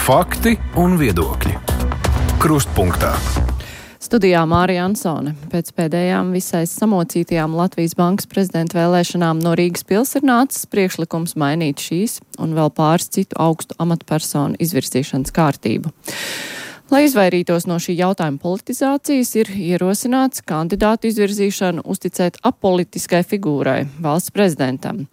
Fakti un viedokļi. Krustpunktā. Studijā Mārija Ansone. Pēc pēdējām visai samocītajām Latvijas Bankas prezidenta vēlēšanām no Rīgas pils ir nācis priekšlikums mainīt šīs un vēl pāris citu augstu amatpersonu izvirzīšanas kārtību. Lai izvairītos no šī jautājuma politizācijas, ir ierosināts kandidātu izvirzīšanu uzticēt apolitiskai figūrai, valsts prezidentam.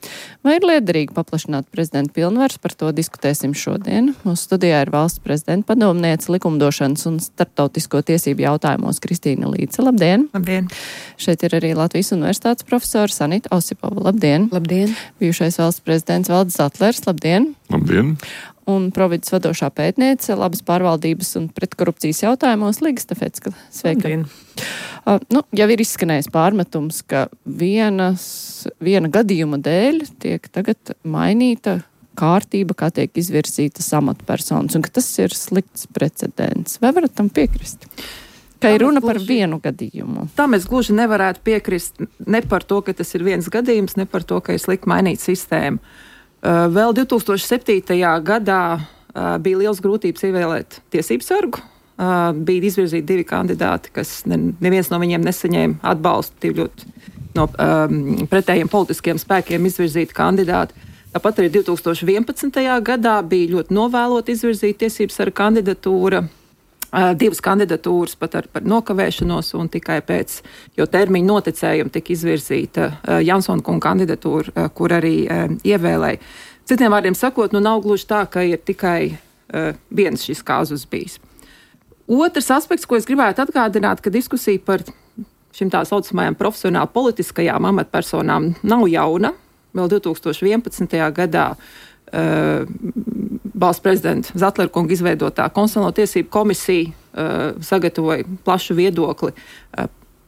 Vai ir liederīgi paplašināt prezidenta pilnvaras, par to diskutēsim šodien. Mūsu studijā ir valsts prezidenta padomniece likumdošanas un starptautisko tiesību jautājumos Kristīna Līce. Labdien! Labdien! Šeit ir arī Latvijas universitātes profesora Sanita Osipova. Labdien! Labdien! Bijušais valsts prezidents Valdis Zatlers. Labdien! Labdien! Un Provides vadošā pētniece labas pārvaldības un pretkorupcijas jautājumos Liga Stefecka. Sveika! Jau ir izskanējis pārmetums, ka viena gadījuma dēļ tiek tagad mainīta kārtība, kā tiek izvirzītas amatpersonas, un ka tas ir slikts precedents. Vai varat tam piekrist? Ka ir runa par vienu gadījumu. Tā mēs gluži nevarētu piekrist ne par to, ka tas ir viens gadījums, ne par to, ka ir slikti mainīt sistēmu. Vēl 2007. gadā bija liels grūtības ievēlēt tiesību sargu. Bija izvirzīti divi kandidāti, kas neviens no viņiem nesaņēma atbalstu, ļoti no pretējiem politiskiem spēkiem izvirzīti kandidāti. Tāpat arī 2011. gadā bija ļoti novēlot izvirzīt tiesību sargu kandidatūra. Divas kandidatūras pat par nokavēšanos, un tikai pēc jau termiņa noticējuma tika izvirzīta Jansona kunga kandidatūra, kur arī ievēlēja. Citiem vārdiem sakot, nav gluži tā, ka ir tikai viens šis kāzus bijis. Otrs aspekts, ko es gribētu atgādināt, ka diskusija par šim tā saucamajām profesionāli politiskajām amatpersonām nav jauna. Vēl 2011. gadā valsts prezidenta Zatlera kunga izveidotā konstitucionālo tiesību komisija sagatavoja plašu viedokli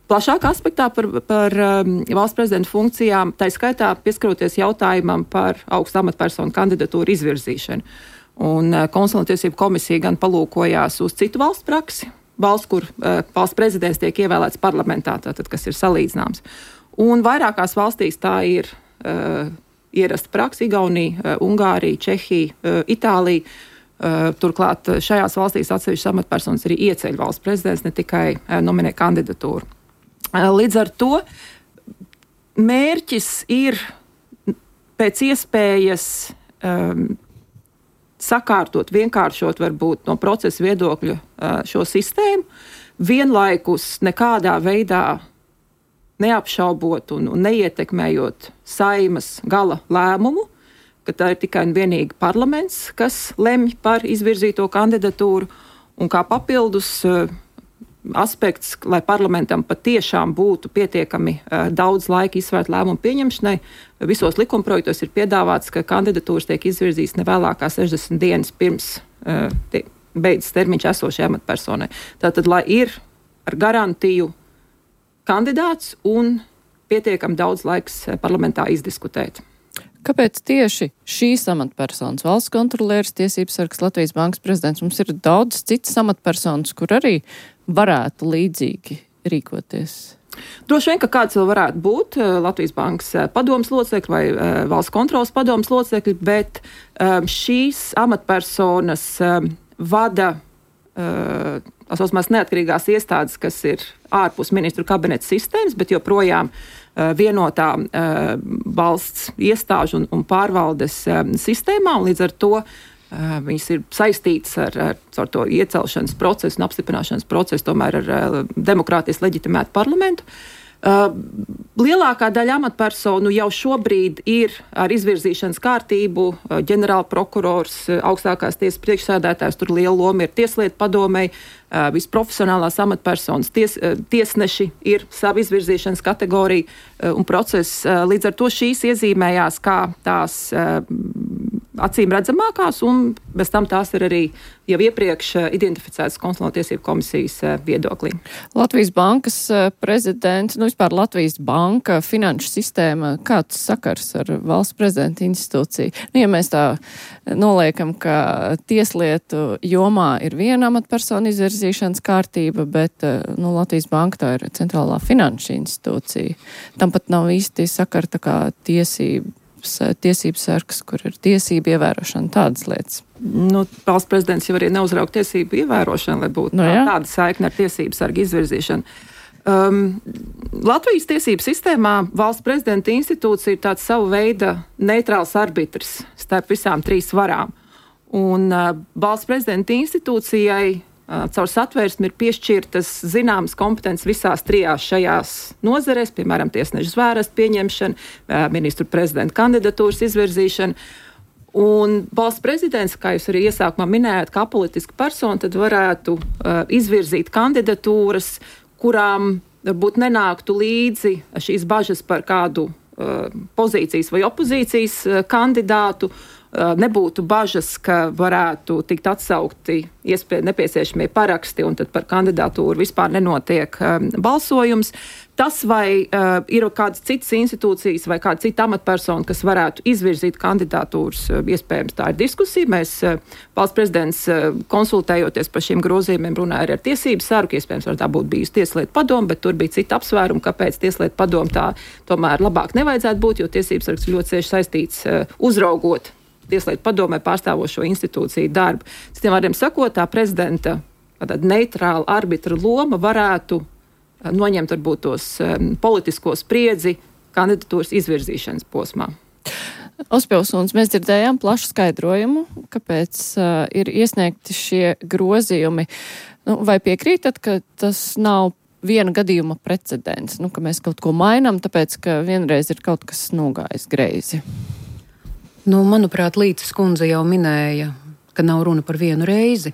plašākā aspektā par valsts prezidenta funkcijām, tā skaitā pieskaroties jautājumam par augstu amatpersonu kandidatūru izvirzīšanu. Un konstitucionālo tiesību komisija gan palūkojās uz citu valstu praksi, valsts, kur valsts prezidents tiek ievēlēts parlamentā, tātad, kas ir salīdzināms. Un vairākās valstīs tā ir ierasta praksa: Igaunija, Ungārija, Čehija, Itālija. Turklāt šajās valstīs atsevišķas amatpersonas arī ieceļ valsts prezidents, ne tikai nominē kandidatūru. Līdz ar to mērķis ir pēc iespējas sakārtot, vienkāršot varbūt no procesa viedokļa šo sistēmu, vienlaikus nekādā veidā neapšaubot un neietekmējot Saimas gala lēmumu, ka tā ir tikai un vienīgi parlaments, kas lemj par izvirzīto kandidatūru, un kā papildus aspekts, lai parlamentam patiešām būtu pietiekami daudz laika izsvērt lēmumu pieņemšanai. Visos likumprojektos ir piedāvāts, ka kandidatūras tiek izvirzītas ne vēlākā 60 dienas pirms beidzas termiņš esošajai amatpersonai. Tātad, lai ir ar garantiju kandidāts un pietiekami daudz laiks parlamentā izdiskutēt. Kāpēc tieši šīs amatpersonas, valsts kontrolieris, tiesības sargs, Latvijas Bankas prezidents? Mums ir daudz citas amatpersonas, kur arī varētu līdzīgi rīkoties. Droši vien, ka kāds vēl varētu būt Latvijas Bankas padomes locekļi vai valsts kontrolas padomes locekļi, bet šīs amatpersonas vada tās saucamās neatkarīgās iestādes, kas ir ārpus ministru kabineta sistēmas, bet joprojām vienotā valsts iestāžu un pārvaldes sistēmā, un līdz ar to viņas ir saistītas ar to iecelšanas procesu un apstiprināšanas procesu, tomēr ar demokrātijas leģitimētu parlamentu. Lielākā daļa amatpersonu jau šobrīd ir ar izvirzīšanas kārtību. Ģenerāla prokurors, augstākās tiesas priekšsēdētājs, tur liela loma ir tieslietu padomei, visprofesionālās amatpersonas, tiesneši ir sava izvirzīšanas kategorija un process. Līdz ar to šīs iezīmējās kā tās acīm redzamākās, un bez tam tās ir arī jau iepriekš identificētas konstitucionālo tiesību komisijas viedoklī. Latvijas Bankas prezidents, vispār Latvijas Banka, finanšu sistēma, kāds sakars ar valsts prezidenta institūciju? Ja mēs tā noliekam, ka tieslietu jomā ir viena amatpersona izvirzīšanas kārtība, bet Latvijas Banka tā ir centrālā finanšu institūcija. Tam pat nav īsti sakara tā kā tiesības sargs, kur ir tiesība ievērošana, tādas lietas. valsts prezidents jau arī neuzraug tiesību ievērošanu, lai būtu tāda saikne ar tiesību sargu izvirzīšanu. Latvijas tiesību sistēmā valsts prezidenta institūcija ir tāds savu veida neitrāls arbitrs starp visām trīs varām. Un valsts prezidenta institūcijai caur satvērsmi ir piešķirtas zināmas kompetences visās trijās šajās nozarēs, piemēram, tiesneša zvērestu pieņemšana, ministru prezidenta kandidatūras izvirzīšana. Un valsts prezidents, kā jūs arī iesākumā minējāt, kā politiska persona, tad varētu izvirzīt kandidatūras, kurām varbūt nenāktu līdzi šīs bažas par kādu pozīcijas vai opozīcijas kandidātu, nebūtu bažas, ka varētu tikt atsaukti nepieciešamie paraksti un tad par kandidatūru vispār nenotiek balsojums. Tas vai ir kādas citas institūcijas vai kāda cita amatpersona, kas varētu izvirzīt kandidatūras, iespējams tā ir diskusija. Mēs valsts prezidents konsultējoties par šiem grozījumiem runāja arī ar tiesību sargu, iespējams var tā būt bijusi tieslietu padome, bet tur bija cita apsvēruma, kāpēc tieslietu padome tā tomēr labāk nevajadzētu būt, jo tiesības sargs ļoti cieši saistīts uzraugot tieslietu padomē pārstāvošo institūciju darbu. Citiem vārdiem sakot, tā prezidenta neitrāla arbitra loma varētu noņemt varbūt tos politisko spriedzi kandidatūras izvirzīšanas posmā. Ospjovs, mēs dzirdējām plašu skaidrojumu, kāpēc ir iesniegti šie grozījumi. Vai piekrītat, ka tas nav viena gadījuma precedents, ka mēs kaut ko mainām, tāpēc, ka vienreiz ir kaut kas nogājis greizi? Manuprāt, Līces kundze jau minēja, ka nav runa par vienu reizi.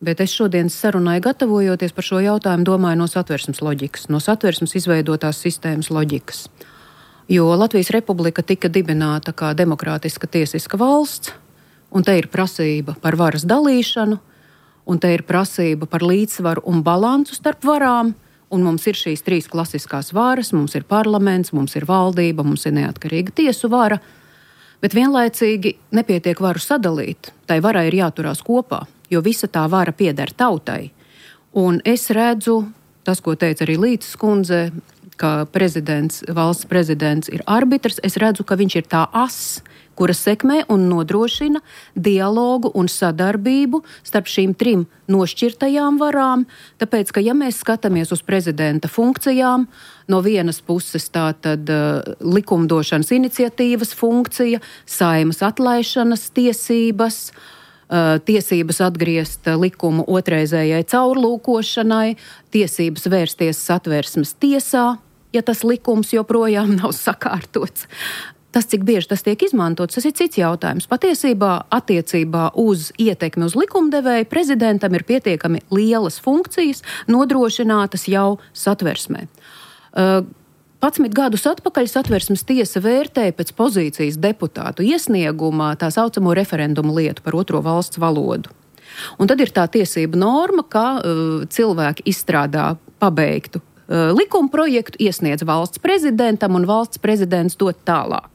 Bet es šodienas sarunai gatavojoties par šo jautājumu domāju no satversmes loģikas, no satversmes izveidotās sistēmas loģikas. Jo Latvijas Republika tika dibināta kā demokrātiska tiesiska valsts, un te ir prasība par varas dalīšanu, un te ir prasība par līdzsvaru un balansu starp varām, un mums ir šīs trīs klasiskās varas, mums ir parlaments, mums ir valdība, mums ir neatkarīga tiesu vara, bet vienlaicīgi nepietiek varu sadalīt, tai varai ir jāturās kopā, jo visa tā vara pieder tautai. Un es redzu, tas, ko teica arī Līces kundze, ka valsts prezidents ir arbitrs, es redzu, ka viņš ir tā ass, kura sekmē un nodrošina dialogu un sadarbību starp šīm trim nošķirtajām varām, tāpēc, ka ja mēs skatāmies uz prezidenta funkcijām, no vienas puses tātad likumdošanas iniciatīvas funkcija, Saeimas atlaišanas tiesības, tiesības atgriezt likumu otrreizējai caurlūkošanai, tiesības vērsties satversmes tiesā, ja tas likums joprojām nav sakārtots. Tas, cik bieži tas tiek izmantots, tas ir cits jautājums. Patiesībā attiecībā uz ietekmi uz likumdevēju prezidentam ir pietiekami lielas funkcijas nodrošinātas jau satversmē. 11 gadus atpakaļ satversmes tiesa vērtēja pēc pozīcijas deputātu iesniegumā tā saucamo referendumu lietu par otro valsts valodu. Un tad ir tā tiesība norma, ka cilvēki izstrādā pabeigtu likuma projektu, iesniedz valsts prezidentam un valsts prezidents dod tālāk.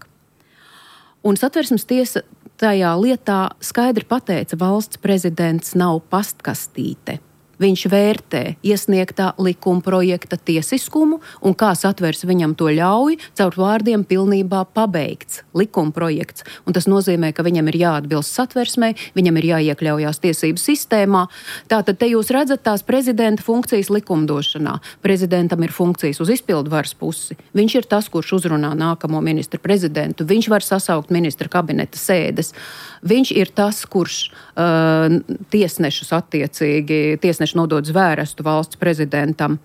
Un satversmes tiesa tajā lietā skaidri pateica, valsts prezidents nav pastkastīte. Viņš vērtē iesniegtā likuma projekta tiesiskumu un kā satvers viņam to ļauj, caur vārdiem pilnībā pabeigts likuma projekts. Un tas nozīmē, ka viņam ir jāatbilst satversmei, viņam ir jāiekļaujās tiesību sistēmā. Tātad te jūs redzat tās prezidenta funkcijas likumdošanā. Prezidentam ir funkcijas uz izpildu varas pusi. Viņš ir tas, kurš uzrunā nākamo ministru prezidentu. Viņš var sasaukt ministra kabineta sēdes. Viņš ir tas, kurš tiesnešus attiecīgi, tiesneši nodod zvērestu valsts prezidentam.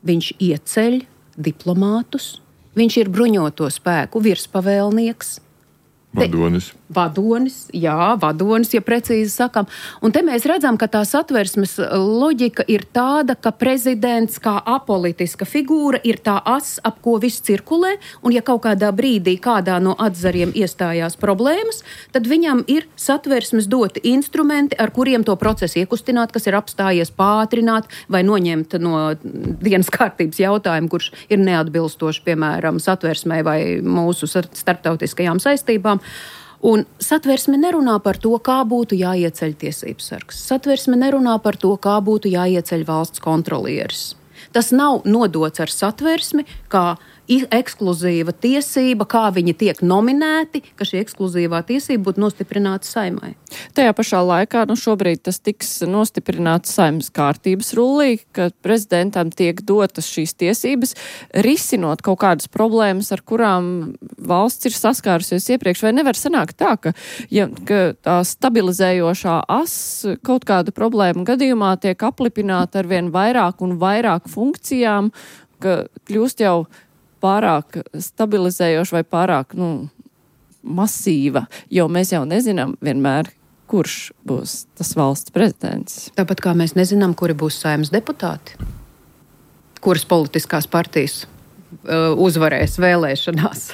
Viņš ieceļ diplomātus, viņš ir bruņoto spēku virspavēlnieks. Vadonis, ja precīzi sakam. Un te mēs redzam, ka tā satversmes loģika ir tāda, ka prezidents kā apolitiska figūra ir tā as, ap ko viss cirkulē, un ja kaut kādā brīdī kādā no atzariem iestājās problēmas, tad viņam ir satversmes doti instrumenti, ar kuriem to procesu iekustināt, kas ir apstājies, pātrināt vai noņemt no dienas kārtības jautājumu, kurš ir neatbilstoši, piemēram, satversmē vai mūsu starptautiskajām saistībām. Un satversme nerunā par to, kā būtu jāieceļ tiesības sargs. Satversme nerunā par to, kā būtu jāieceļ valsts kontrolieris. Tas nav nodots ar satversmi, kā ekskluzīva tiesība, kā viņi tiek nominēti, ka šī ekskluzīvā tiesība būtu nostiprināta Saeimai. Tajā pašā laikā, šobrīd tas tiks nostiprināts Saeimas kārtības rullī, ka prezidentam tiek dotas šīs tiesības, risinot kaut kādas problēmas, ar kurām valsts ir saskārusies iepriekš. Vai nevar sanākt tā, ka tā stabilizējošā as kaut kādu problēmu gadījumā tiek aplipināta ar vien vairāk un vairāk funkcijām, ka kļūst jau pārāk stabilizējoša vai pārāk, masīva, jo mēs jau nezinām vienmēr, kurš būs tas valsts prezidents. Tāpat kā mēs nezinām, kuri būs Saeimas deputāti, kuras politiskās partijas uzvarēs vēlēšanās.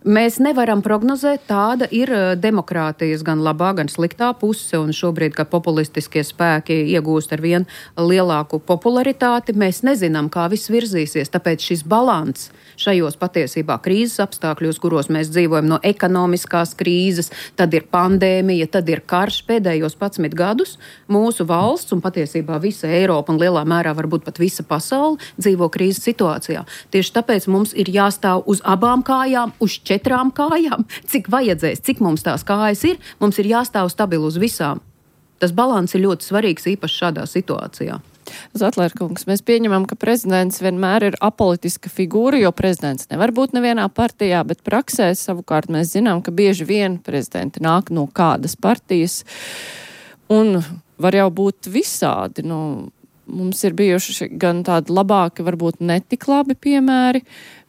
Mēs nevaram prognozēt, tāda ir demokrātijas gan labā, gan sliktā puse, un šobrīd, kad populistiskie spēki iegūst ar vien lielāku popularitāti, mēs nezinām, kā viss virzīsies, tāpēc šis balans šajos patiesībā krīzes apstākļos, kuros mēs dzīvojam no ekonomiskās krīzes, tad ir pandēmija, tad ir karš pēdējos 11 gadus, mūsu valsts un patiesībā visa Eiropa un lielā mērā varbūt pat visa pasaule dzīvo krīzes situācijā. Tieši tāpēc mums ir jāstāv uz abām kājām, uz 4 kājām, cik vajadzēs, cik mums tās kājas ir, mums ir jāstāv stabili uz visām. Tas balans ir ļoti svarīgs īpaši šādā situācijā. Zatlērkungs, mēs pieņemam, ka prezidents vienmēr ir apolitiska figūra, jo prezidents nevar būt nevienā partijā, bet praksē savukārt mēs zinām, ka bieži vien prezidenti nāk no kādas partijas un var jau būt visādi. Mums ir bijuši gan tādi labāki, varbūt netik labi piemēri,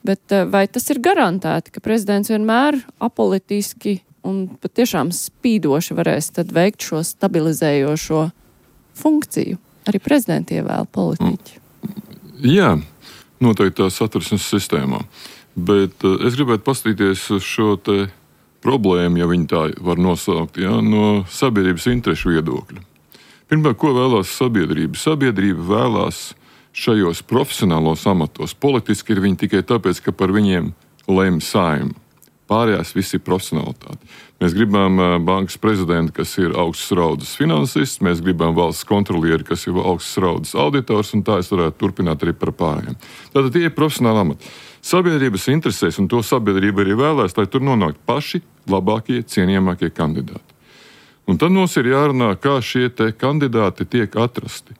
bet vai tas ir garantēti, ka prezidents vienmēr apolitiski un patiešām spīdoši varēs tad veikt šo stabilizējošo funkciju? Arī prezidenti ievēl politiķi. Jā, noteikti tā satversmes sistēmā. Bet es gribētu paskatīties uz šo te problēmu, ja viņi tā var nosaukt, no sabiedrības interešu viedokļa. Pirmkārt, ko vēlās sabiedrība? Sabiedrība vēlās šajos profesionālos amatos. Politiski ir viņi tikai tāpēc, ka par viņiem lemj Saeima. Pārējās viss ir profesionalitāte. Mēs gribam bankas prezidentu, kas ir augsts raudas finansists, mēs gribam valsts kontrolieri, kas ir augsts raudas auditors, un tā es varētu turpināt arī par pārējiem. Tātad tie ir profesionāli amati. Sabiedrības interesēs, un to sabiedrība arī vēlēs, lai tur nonāktu paši labākie, cienījamākie kandidāti. Un tad mums ir jārunā, kā šie te kandidāti tiek atrasti.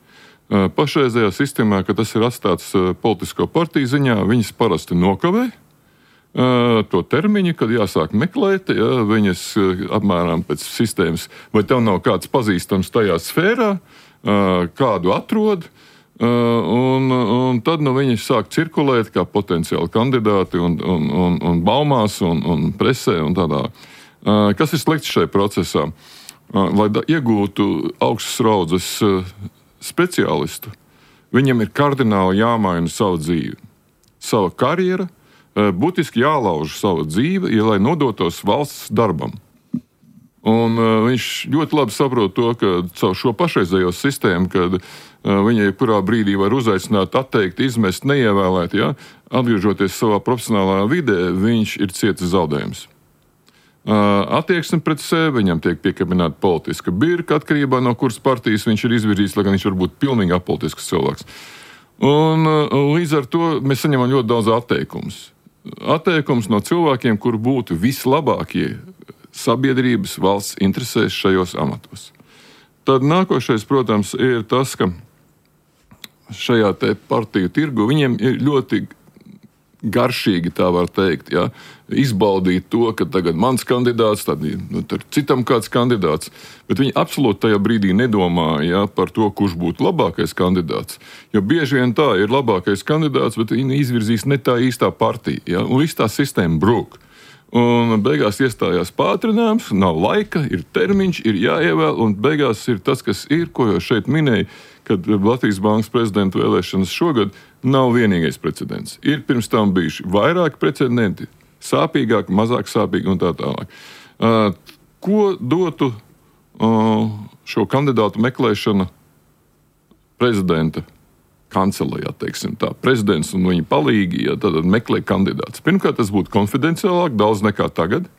Pašreizējā sistēmā, kad tas ir atstāts politisko partiju ziņā, viņas parasti nokavē to termiņu, kad jāsāk meklēt, viņas apmēram pēc sistēmas, vai tev nav kāds pazīstams tajā sfērā, kādu atrod, un tad viņi sāk cirkulēt kā potenciāli kandidāti un baumās un presē un tādā. Kas ir slikts šajā procesā? Lai iegūtu augstas raudzes speciālistu, viņam ir kardināli jāmaina savu dzīvi, sava karjera, būtiski jālauž savu dzīvi, lai nodotos valsts darbam. Un viņš ļoti labi saprot to, ka caur šo pašreizējo sistēmu, kad viņai kurā brīdī var uzaicināt, atteikt, izmest, neievēlēt, atgriežoties savā profesionālā vidē, viņš ir cietis zaudējums. Attieksme pret sevi, viņam tiek piekabināta politiska birka, atkarībā no kuras partijas viņš ir izvirzīts, lai gan viņš var būt pilnīgi apolitisks cilvēks. Un līdz ar to mēs saņemam ļoti daudz atteikumus. Atteikums no cilvēkiem, kur būtu vislabākie sabiedrības valsts interesēs šajos amatos. Tad nākošais, protams, ir tas, ka šajā te partiju tirgu viņiem ir ļoti garšīgi, tā var teikt, izbaudīt to, ka tagad mans kandidāts, tad citam kāds kandidāts, bet viņi absolūti tajā brīdī nedomā par to, kurš būtu labākais kandidāts. Jo bieži vien tā ir labākais kandidāts, bet viņi izvirzīs ne tā īstā partija, un viss tā sistēma brūk. Un beigās iestājās pātrinājums, nav laika, ir termiņš, ir jāievēl, un beigās ir tas, kas ir, ko jau šeit minēja, kad Latvijas bankas prezidenta vēlēšanas šogad nav vienīgais precedents. Ir pirms tam bijuši vairāki precedenti, sāpīgāki, mazāk sāpīgi un tā tālāk. Ko dotu šo kandidātu meklēšana prezidenta kancelējā, teiksim tā, prezidents un viņa palīgi, tad meklē kandidāts. Pirmkārt, tas būtu konfidenciālāk, daudz nekā tagad,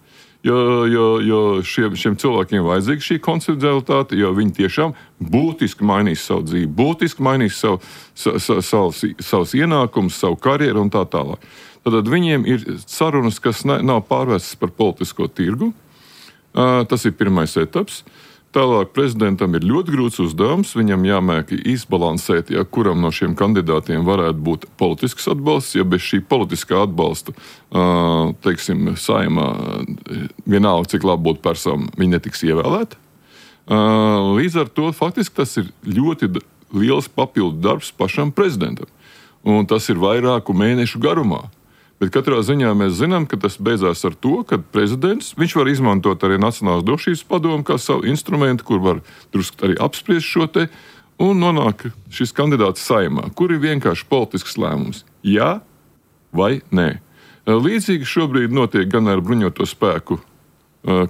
jo šiem cilvēkiem vajadzīga šī konfidencialitāte, jo viņi tiešām būtiski mainīs savu dzīvi, būtiski mainīs savus ienākumus, savu karjeru un tā tālāk. Tad viņiem ir sarunas, kas nav pārvērstas par politisko tirgu. Tas ir pirmais etaps. Tālāk prezidentam ir ļoti grūts uzdevums. Viņam jāmēk izbalansēt, kuram no šiem kandidātiem varētu būt politisks atbalsts. Ja bez šī politiskā atbalsta, teiksim, Saeimā, vienalga, cik labi būtu persona, viņi netiks ievēlēti. Līdz ar to faktiski tas ir ļoti liels papildu darbs pašam prezidentam. Un tas ir vairāku mēnešu garumā. Bet katrā ziņā mēs zinām, ka tas beidzās ar to, ka prezidents, viņš var izmantot arī Nacionālās drošības padomu kā savu instrumentu, kur var drusku arī apspriest šo te, un nonāk šis kandidāts Saeimā, kur ir vienkārši politisks lēmums. Jā vai nē. Līdzīgi šobrīd notiek gan ar bruņoto spēku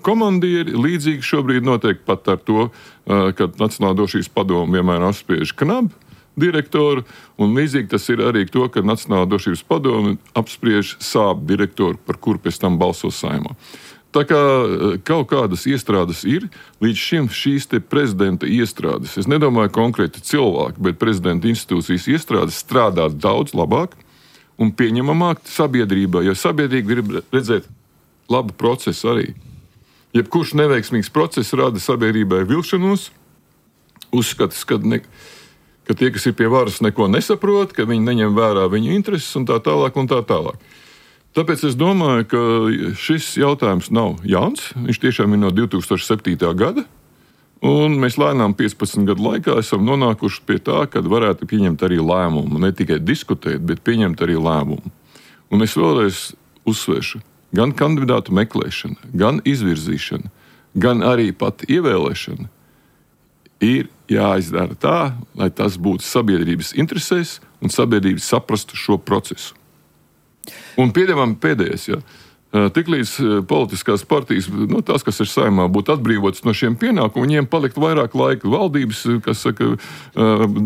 komandieri, līdzīgi šobrīd notiek pat ar to, ka Nacionālā drošības padomu vienmēr apspriež KNAB direktoru, un līdzīgi tas ir arī to, ka Nacionālā drošības padome apspriež SAAB direktoru, par kuru pēc tam balso Saeimā. Tā kā kaut kādas iestrādes ir, līdz šim šīs te prezidenta iestrādes, es nedomāju konkrēti cilvēki, bet prezidenta institūcijas iestrādes strādā daudz labāk un pieņemamāk sabiedrībā, jo sabiedrība grib redzēt labu procesu arī. Jebkurš neveiksmīgs process rada sabiedrībai vilšanos, uzskatas, ka tie, kas ir pie varas, neko nesaprot, ka viņi neņem vērā viņu intereses un tā tālāk un tā tālāk. Tāpēc es domāju, ka šis jautājums nav jauns. Viņš tiešām ir no 2007. gada. Un mēs lēnām 15 gadu laikā esam nonākuši pie tā, ka varētu pieņemt arī lēmumu. Ne tikai diskutēt, bet pieņemt arī lēmumu. Un es vēlreiz uzsvēršu, gan kandidātu meklēšana, gan izvirzīšana, gan arī pat ievēlēšana ir jāizdara tā, lai tas būtu sabiedrības interesēs un sabiedrība saprastu šo procesu. Un pieņemam pēdējais, tiklīdz politiskās partijas, tās, kas ir Saeimā, būtu atbrīvotas no šiem pienākumiem, viņiem palikt vairāk laika valdības, kas saka,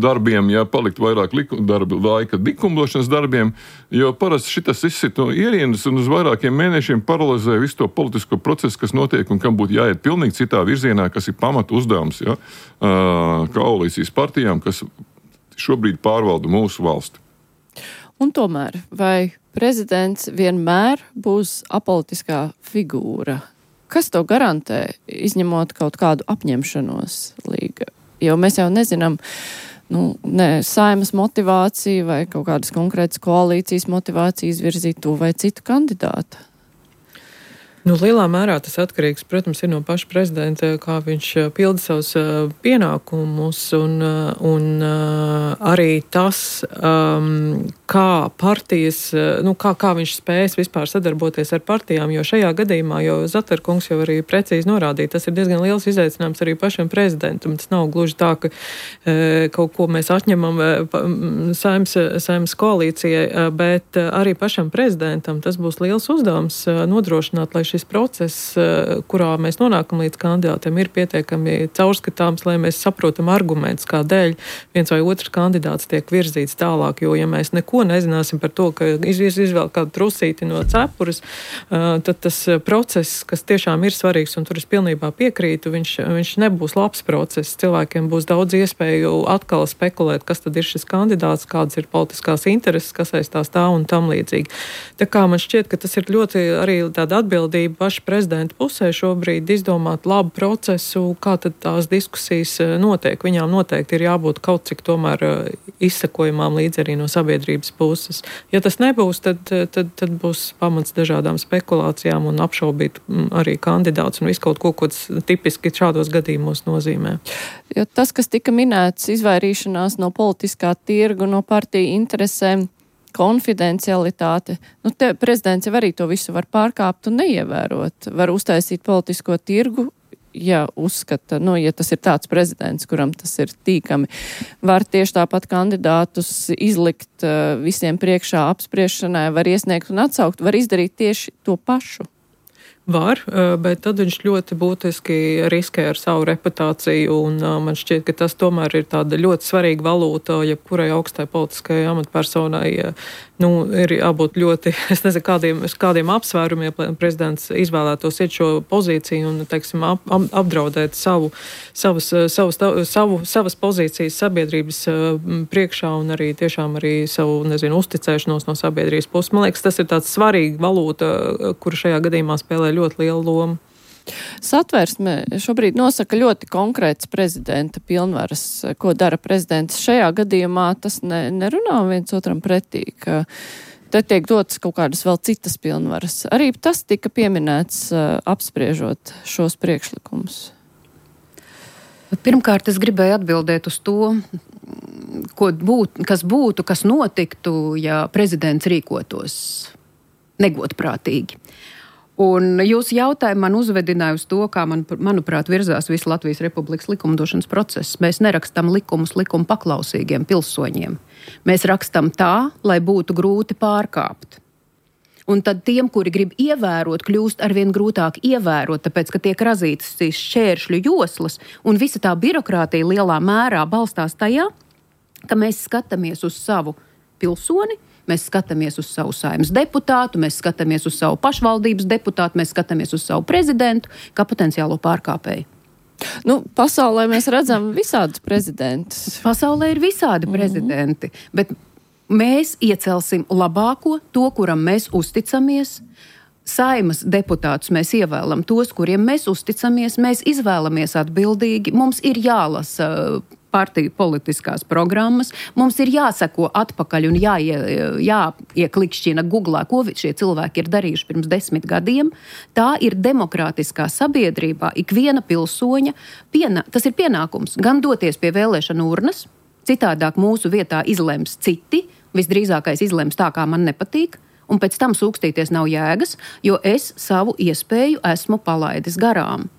darbiem, palikt vairāk laika likumdošanas darbiem, jo parasti šitas izsit no ierienas un uz vairākiem mēnešiem paralizē visu to politisko procesu, kas notiek un kam būtu jāiet pilnīgi citā virzienā, kas ir pamata uzdevums koalīcijas partijām, kas šobrīd pārvalda mūsu valsti. Un tomēr, vai prezidents vienmēr būs apolitiskā figūra? Kas to garantē, izņemot kaut kādu apņemšanos līga? Jo mēs jau nezinām, Saeimas motivāciju vai kaut kādas konkrētas koalīcijas motivāciju izvirzīt to vai citu kandidātu. Lielā mērā tas atkarīgs, protams, ir no paša prezidenta, kā viņš pilda savus pienākumus un arī tas, kā partijas, kā viņš spējas vispār sadarboties ar partijām, jo šajā gadījumā, jo Zaterkungs jau arī precīzi norādīja, tas ir diezgan liels izaicinājums arī pašam prezidentam. Tas nav gluži tā, ka kaut ko mēs atņemam Saeimas koalīcijai, bet arī pašam prezidentam tas būs liels uzdevums nodrošināt, lai šis process, kurā mēs nonākam līdz kandidātiem, ir pietiekami caurskatāms, lai mēs saprotam argumentus, kādēļ viens vai otrs kandidāts tiek virzīts tālāk, jo ja mēs neko nezināsim par to, ka izvēl kādu trusīti no cepures, tad tas process, kas tiešām ir svarīgs, un tur es pilnībā piekrītu, viņš nebūs labs process. Cilvēkiem būs daudz iespēju atkal spekulēt, kas tad ir šis kandidāts, kādas ir politiskās intereses, kas aizstās tā un tam līdzīgi. Tā kā man šķiet, ka tas ir ļoti arī tāda atbildība paša prezidenta pusē šobrīd izdomāt labu procesu, kā tad tās diskusijas notiek. Viņām noteikti ir jābūt kaut cik tomēr izsekojumām līdz arī no sabiedrības puses. Ja tas nebūs, tad būs pamats dažādām spekulācijām un apšaubīt arī kandidāts un visu kaut ko, kas tipiski šādos gadījumos nozīmē. Jo tas, kas tika minēts, izvairīšanās no politiskā tirgu, no partiju interesēm, konfidencialitāte. Prezidents jau arī to visu var pārkāpt un neievērot. Var uztaisīt politisko tirgu, ja uzskata, ja tas ir tāds prezidents, kuram tas ir tīkami. Var tieši tāpat kandidātus izlikt visiem priekšā apspriešanai, var iesniegt un atsaukt, var izdarīt tieši to pašu. Var, bet tad viņš ļoti būtiski riskē ar savu reputāciju, un man šķiet, ka tas tomēr ir tāda ļoti svarīga valūta, jebkurai augstai politiskajai amatpersonai ir jābūt ļoti, es nezinu, kādiem apsvērumiem, lai prezidents izvēlētos iet šo pozīciju un, teiksim, apdraudēt savas pozīcijas sabiedrības priekšā un arī tiešām arī savu, uzticēšanos no sabiedrības puses. Man liekas, tas ir tāds svarīga valūta, kura šajā gadījumā spēlē ļoti lielu lomu. Satversme šobrīd nosaka ļoti konkrēts prezidenta pilnvaras, ko dara prezidents. Šajā gadījumā tas nerunā viens otram pretī, ka te tiek dotas kaut kādas vēl citas pilnvaras. Arī tas tika pieminēts apspriežot šos priekšlikumus. Pirmkārt, es gribēju atbildēt uz to, kas notiktu, ja prezidents rīkotos negodprātīgi. Un jūsu jautājumu man uzvedināja uz to, kā manuprāt, virzās visu Latvijas Republikas likumdošanas procesu. Mēs nerakstam likumus likuma paklausīgiem pilsoņiem. Mēs rakstam tā, lai būtu grūti pārkāpt. Un tad tiem, kuri grib ievērot, kļūst arvien grūtāk ievērot, tāpēc, ka tiek razītas šīs šķēršļu joslas, un visa tā birokrātija lielā mērā balstās tajā, ka mēs skatāmies uz savu pilsoni, mēs skatāmies uz savu saimnes deputātu, mēs skatāmies uz savu pašvaldības deputātu, mēs skatāmies uz savu prezidentu kā potenciālo pārkāpēju. Pasaulē mēs redzam visādus prezidentus. Pasaulē ir visādi prezidenti, bet mēs iecelsim labāko, to, kuram mēs uzticamies. Saimas deputātus mēs ievēlam tos, kuriem mēs uzticamies, mēs izvēlamies atbildīgi, mums ir jālasa partiju politiskās programmas, mums ir jāseko atpakaļ un jāieklikšķina Googlā, ko šie cilvēki ir darījuši pirms 10 gadiem. Tā ir demokrātiskā sabiedrībā ikviena pilsoņa, tas ir pienākums gan doties pie vēlēšanu urnas, citādāk mūsu vietā izlems citi, visdrīzākais izlems tā, kā man nepatīk, un pēc tam sūkstīties nav jēgas, jo es savu iespēju esmu palaidis garām.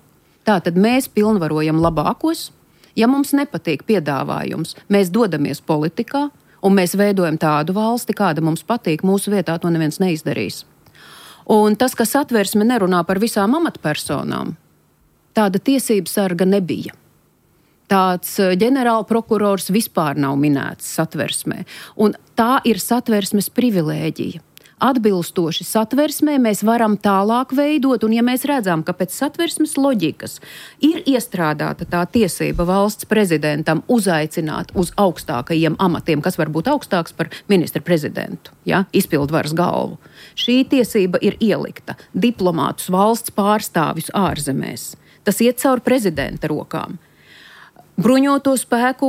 Tātad mēs pilnvarojam labākos. Ja mums nepatīk piedāvājums, mēs dodamies politikā un mēs veidojam tādu valsti, kāda mums patīk, mūsu vietā to neviens neizdarīs. Un tas, ka Satversme nerunā par visām amatpersonām, tāda tiesības sarga nebija. Tāds ģenerālprokurors vispār nav minēts Satversmē. Un tā ir Satversmes privilēģija. Atbilstoši Satversmē mēs varam tālāk veidot, un ja mēs redzam, ka pēc Satversmes loģikas ir iestrādāta tā tiesība valsts prezidentam uzaicināt uz augstākajiem amatiem, kas var būt augstāks par ministra prezidentu, izpildvaras galvu. Šī tiesība ir ielikta diplomātus, valsts pārstāvjus ārzemēs. Tas iet cauri prezidenta rokām. Bruņoto spēku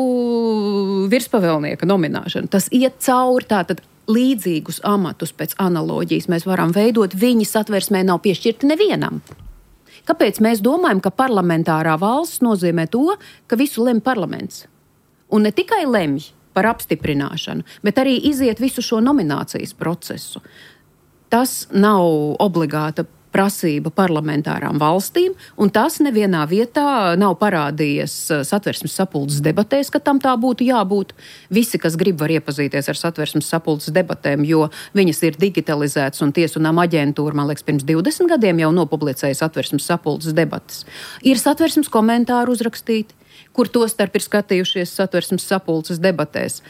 virspavēlnieka nomināšana, tas iet cauri tātad līdzīgus amatus pēc analoģijas mēs varam veidot, viņi Satversmē nav piešķirti nevienam. Kāpēc mēs domājam, ka parlamentārā valsts nozīmē to, ka visu lemj parlaments? Un ne tikai lemj par apstiprināšanu, bet arī iziet visu šo nominācijas procesu. Tas nav obligāta prasība parlamentārām valstīm, un tas nevienā vietā nav parādījies Satversmes sapulces debatēs, ka tam tā būtu jābūt. Visi, kas grib, var iepazīties ar Satversmes sapulces debatēm, jo viņas ir digitalizētas, un Tiesu un nama aģentūra, man liekas, pirms 20 gadiem jau nopublicēja Satversmes sapulces debates. Ir Satversmes komentāri uzrakstīti, kur tostarp ir skatījušies Satversmes sapulces debatēs.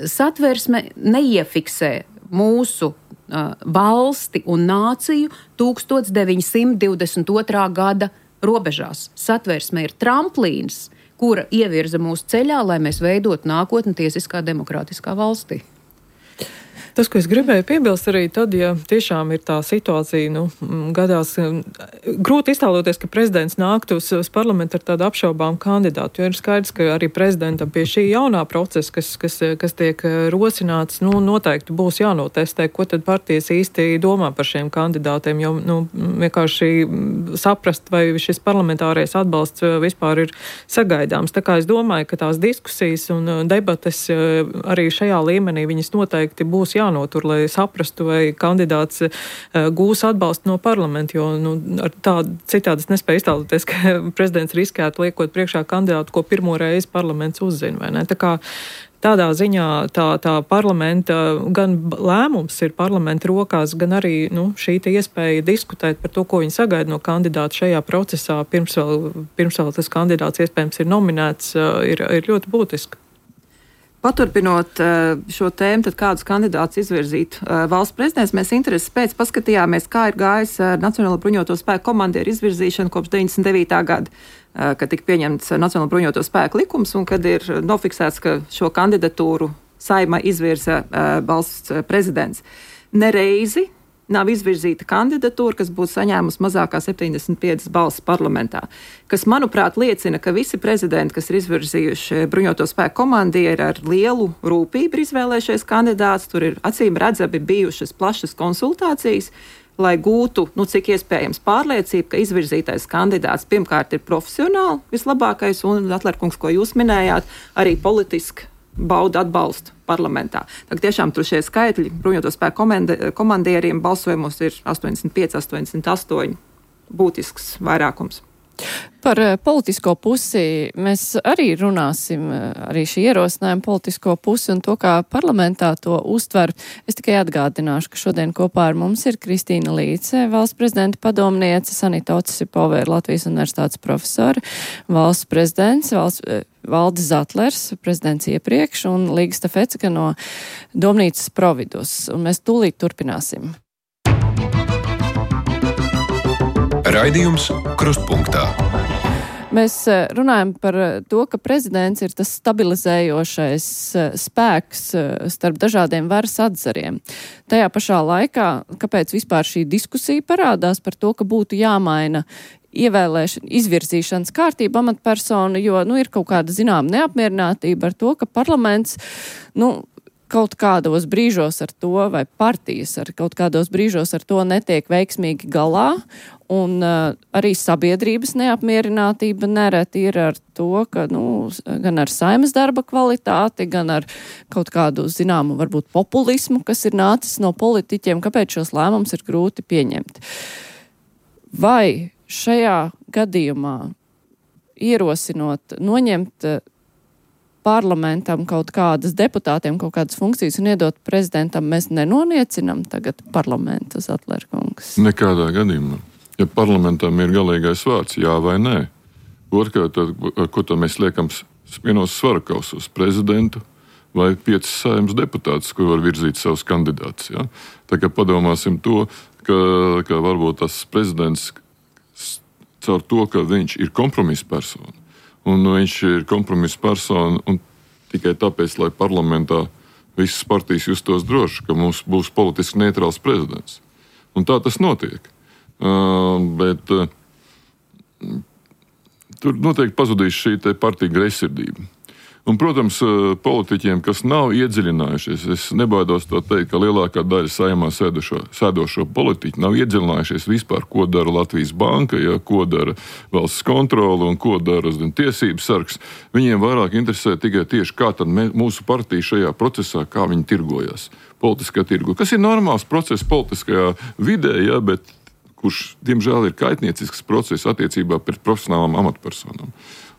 Satversme neiefiksē mūsu valsti un nāciju 1922. Gada robežās. Satversme ir tramplīns, kura ievirza mūsu ceļā, lai mēs veidotu nākotni tiesiskā demokrātiskā valstī. Tas, ko es gribēju piebilst arī tad, ja tiešām ir tā situācija, gadās grūti iztēloties, ka prezidents nāktu uz parlamentu ar tādu apšaubām kandidātu, jo ir skaidrs, ka arī prezidentam pie šī jaunā procesa, kas tiek rosināts, noteikti būs jānotestē, ko tad partijas īsti domā par šiem kandidātiem, jo vienkārši saprast, vai šis parlamentārais atbalsts vispār ir sagaidāms. Tā kā es domāju, ka tās diskusijas un debates arī šajā līmenī viņas noteikti būs jānotur, lai saprastu, vai kandidāts gūs atbalstu no parlamenta, jo citādi es nespēju iztēloties, ka prezidents riskētu liekot priekšā kandidātu, ko pirmo reizi parlaments uzzina, vai ne? Tā kā tādā ziņā tā parlamenta gan lēmums ir parlamenta rokās, gan arī šī iespēja diskutēt par to, ko viņi sagaida no kandidāta šajā procesā, pirms vēl tas kandidāts iespējams ir nominēts, ir ļoti būtiski. Paturpinot šo tēmu, tad kādus kandidātus izvirzīt valsts prezidents, mēs intereses pēc paskatījāmies, kā ir gājis Nacionālo bruņoto spēku komandieru izvirzīšana kopš 99. gada, kad tika pieņemts Nacionālo bruņoto spēku likums un kad ir nofiksēts, ka šo kandidatūru Saeimā izvirza valsts prezidents. Nereizi nav izvirzīta kandidatūra, kas būtu saņēmusi mazākā 75 balsis parlamentā, kas, manuprāt, liecina, ka visi prezidenti, kas ir izvirzījuši bruņoto spēku komandieri, ar lielu rūpību izvēlējušies kandidāts. Tur ir acīm redzami bijušas plašas konsultācijas, lai gūtu, cik iespējams, pārliecību, ka izvirzītais kandidāts pirmkārt ir profesionāli vislabākais, un, Atlerkungs, ko jūs minējāt, arī politiski bauda atbalstu parlamentā. Tā tiešām tur šie skaitļi bruņoto spēku komandieriem balsojumos ir 85, 88 būtisks vairākums. Par politisko pusi mēs arī runāsim, arī šī ierosinājuma politisko pusi un to, kā parlamentā to uztver. Es tikai atgādināšu, ka šodien kopā ar mums ir Kristīna Līce, valsts prezidenta padomniece, Sanita Otsipova, Latvijas universitātes profesori, valsts prezidents, Valdis Zatlers, prezidents iepriekš, un Līga Stafecka no Domnīcas Providus. Un mēs tūlīt turpināsim. Raidījums Krustpunktā. Mēs runājam par to, ka prezidents ir tas stabilizējošais spēks starp dažādiem varas atzariem. Tajā pašā laikā, kāpēc vispār šī diskusija parādās par to, ka būtu jāmaina izvirzīšanas kārtība amatpersonu, jo ir kaut kāda zināma neapmierinātība ar to, ka parlaments kaut kādos brīžos ar to, vai partijas ar kaut kādos brīžos ar to netiek veiksmīgi galā, un arī sabiedrības neapmierinātība nereti ir ar to, ka gan ar Saeimas darba kvalitāti, gan ar kaut kādu zināmu varbūt populismu, kas ir nācis no politiķiem, kāpēc šos lēmumus ir grūti pieņemt. Vai šajā gadījumā ierosinot noņemt parlamentam kaut kādas deputātiem, kaut kādas funkcijas un iedot prezidentam, mēs nenoniecinam tagad parlamentu, Zatlerkungs? Nekādā gadījumā. Ja parlamentam ir galīgais vārds, jā vai nē. Otrkārt, ar ko to mēs liekam vienos svarakausos, prezidentu vai 5 Saeimas deputātus, kur var virzīt savus kandidātus. Ja? Tā kā padomāsim to, ka varbūt tas prezidents caur to, ka viņš ir kompromisa persona, un viņš ir kompromisa persona un tikai tāpēc, lai parlamentā visas partijas justos droši, ka mums būs politiski neitrāls prezidents. Un tā tas notiek. Bet tur noteikti pazudīs šī partija greizsirdība. Un, protams, politiķiem, kas nav iedziļinājušies, es nebaidos to teikt, ka lielākā daļa Saeimā sēdošo politiķu nav iedziļinājušies vispār, ko dara Latvijas banka, ko dara valsts kontrole un ko dara tiesības sargs. Viņiem vairāk interesē tikai tieši, kā tad mūsu partija šajā procesā, kā viņi tirgojas politiskā tirgu. Kas ir normāls process politiskajā vidē, bet kurš, diemžēl, ir kaitniecisks process attiecībā pret profesionālām amatpersonām.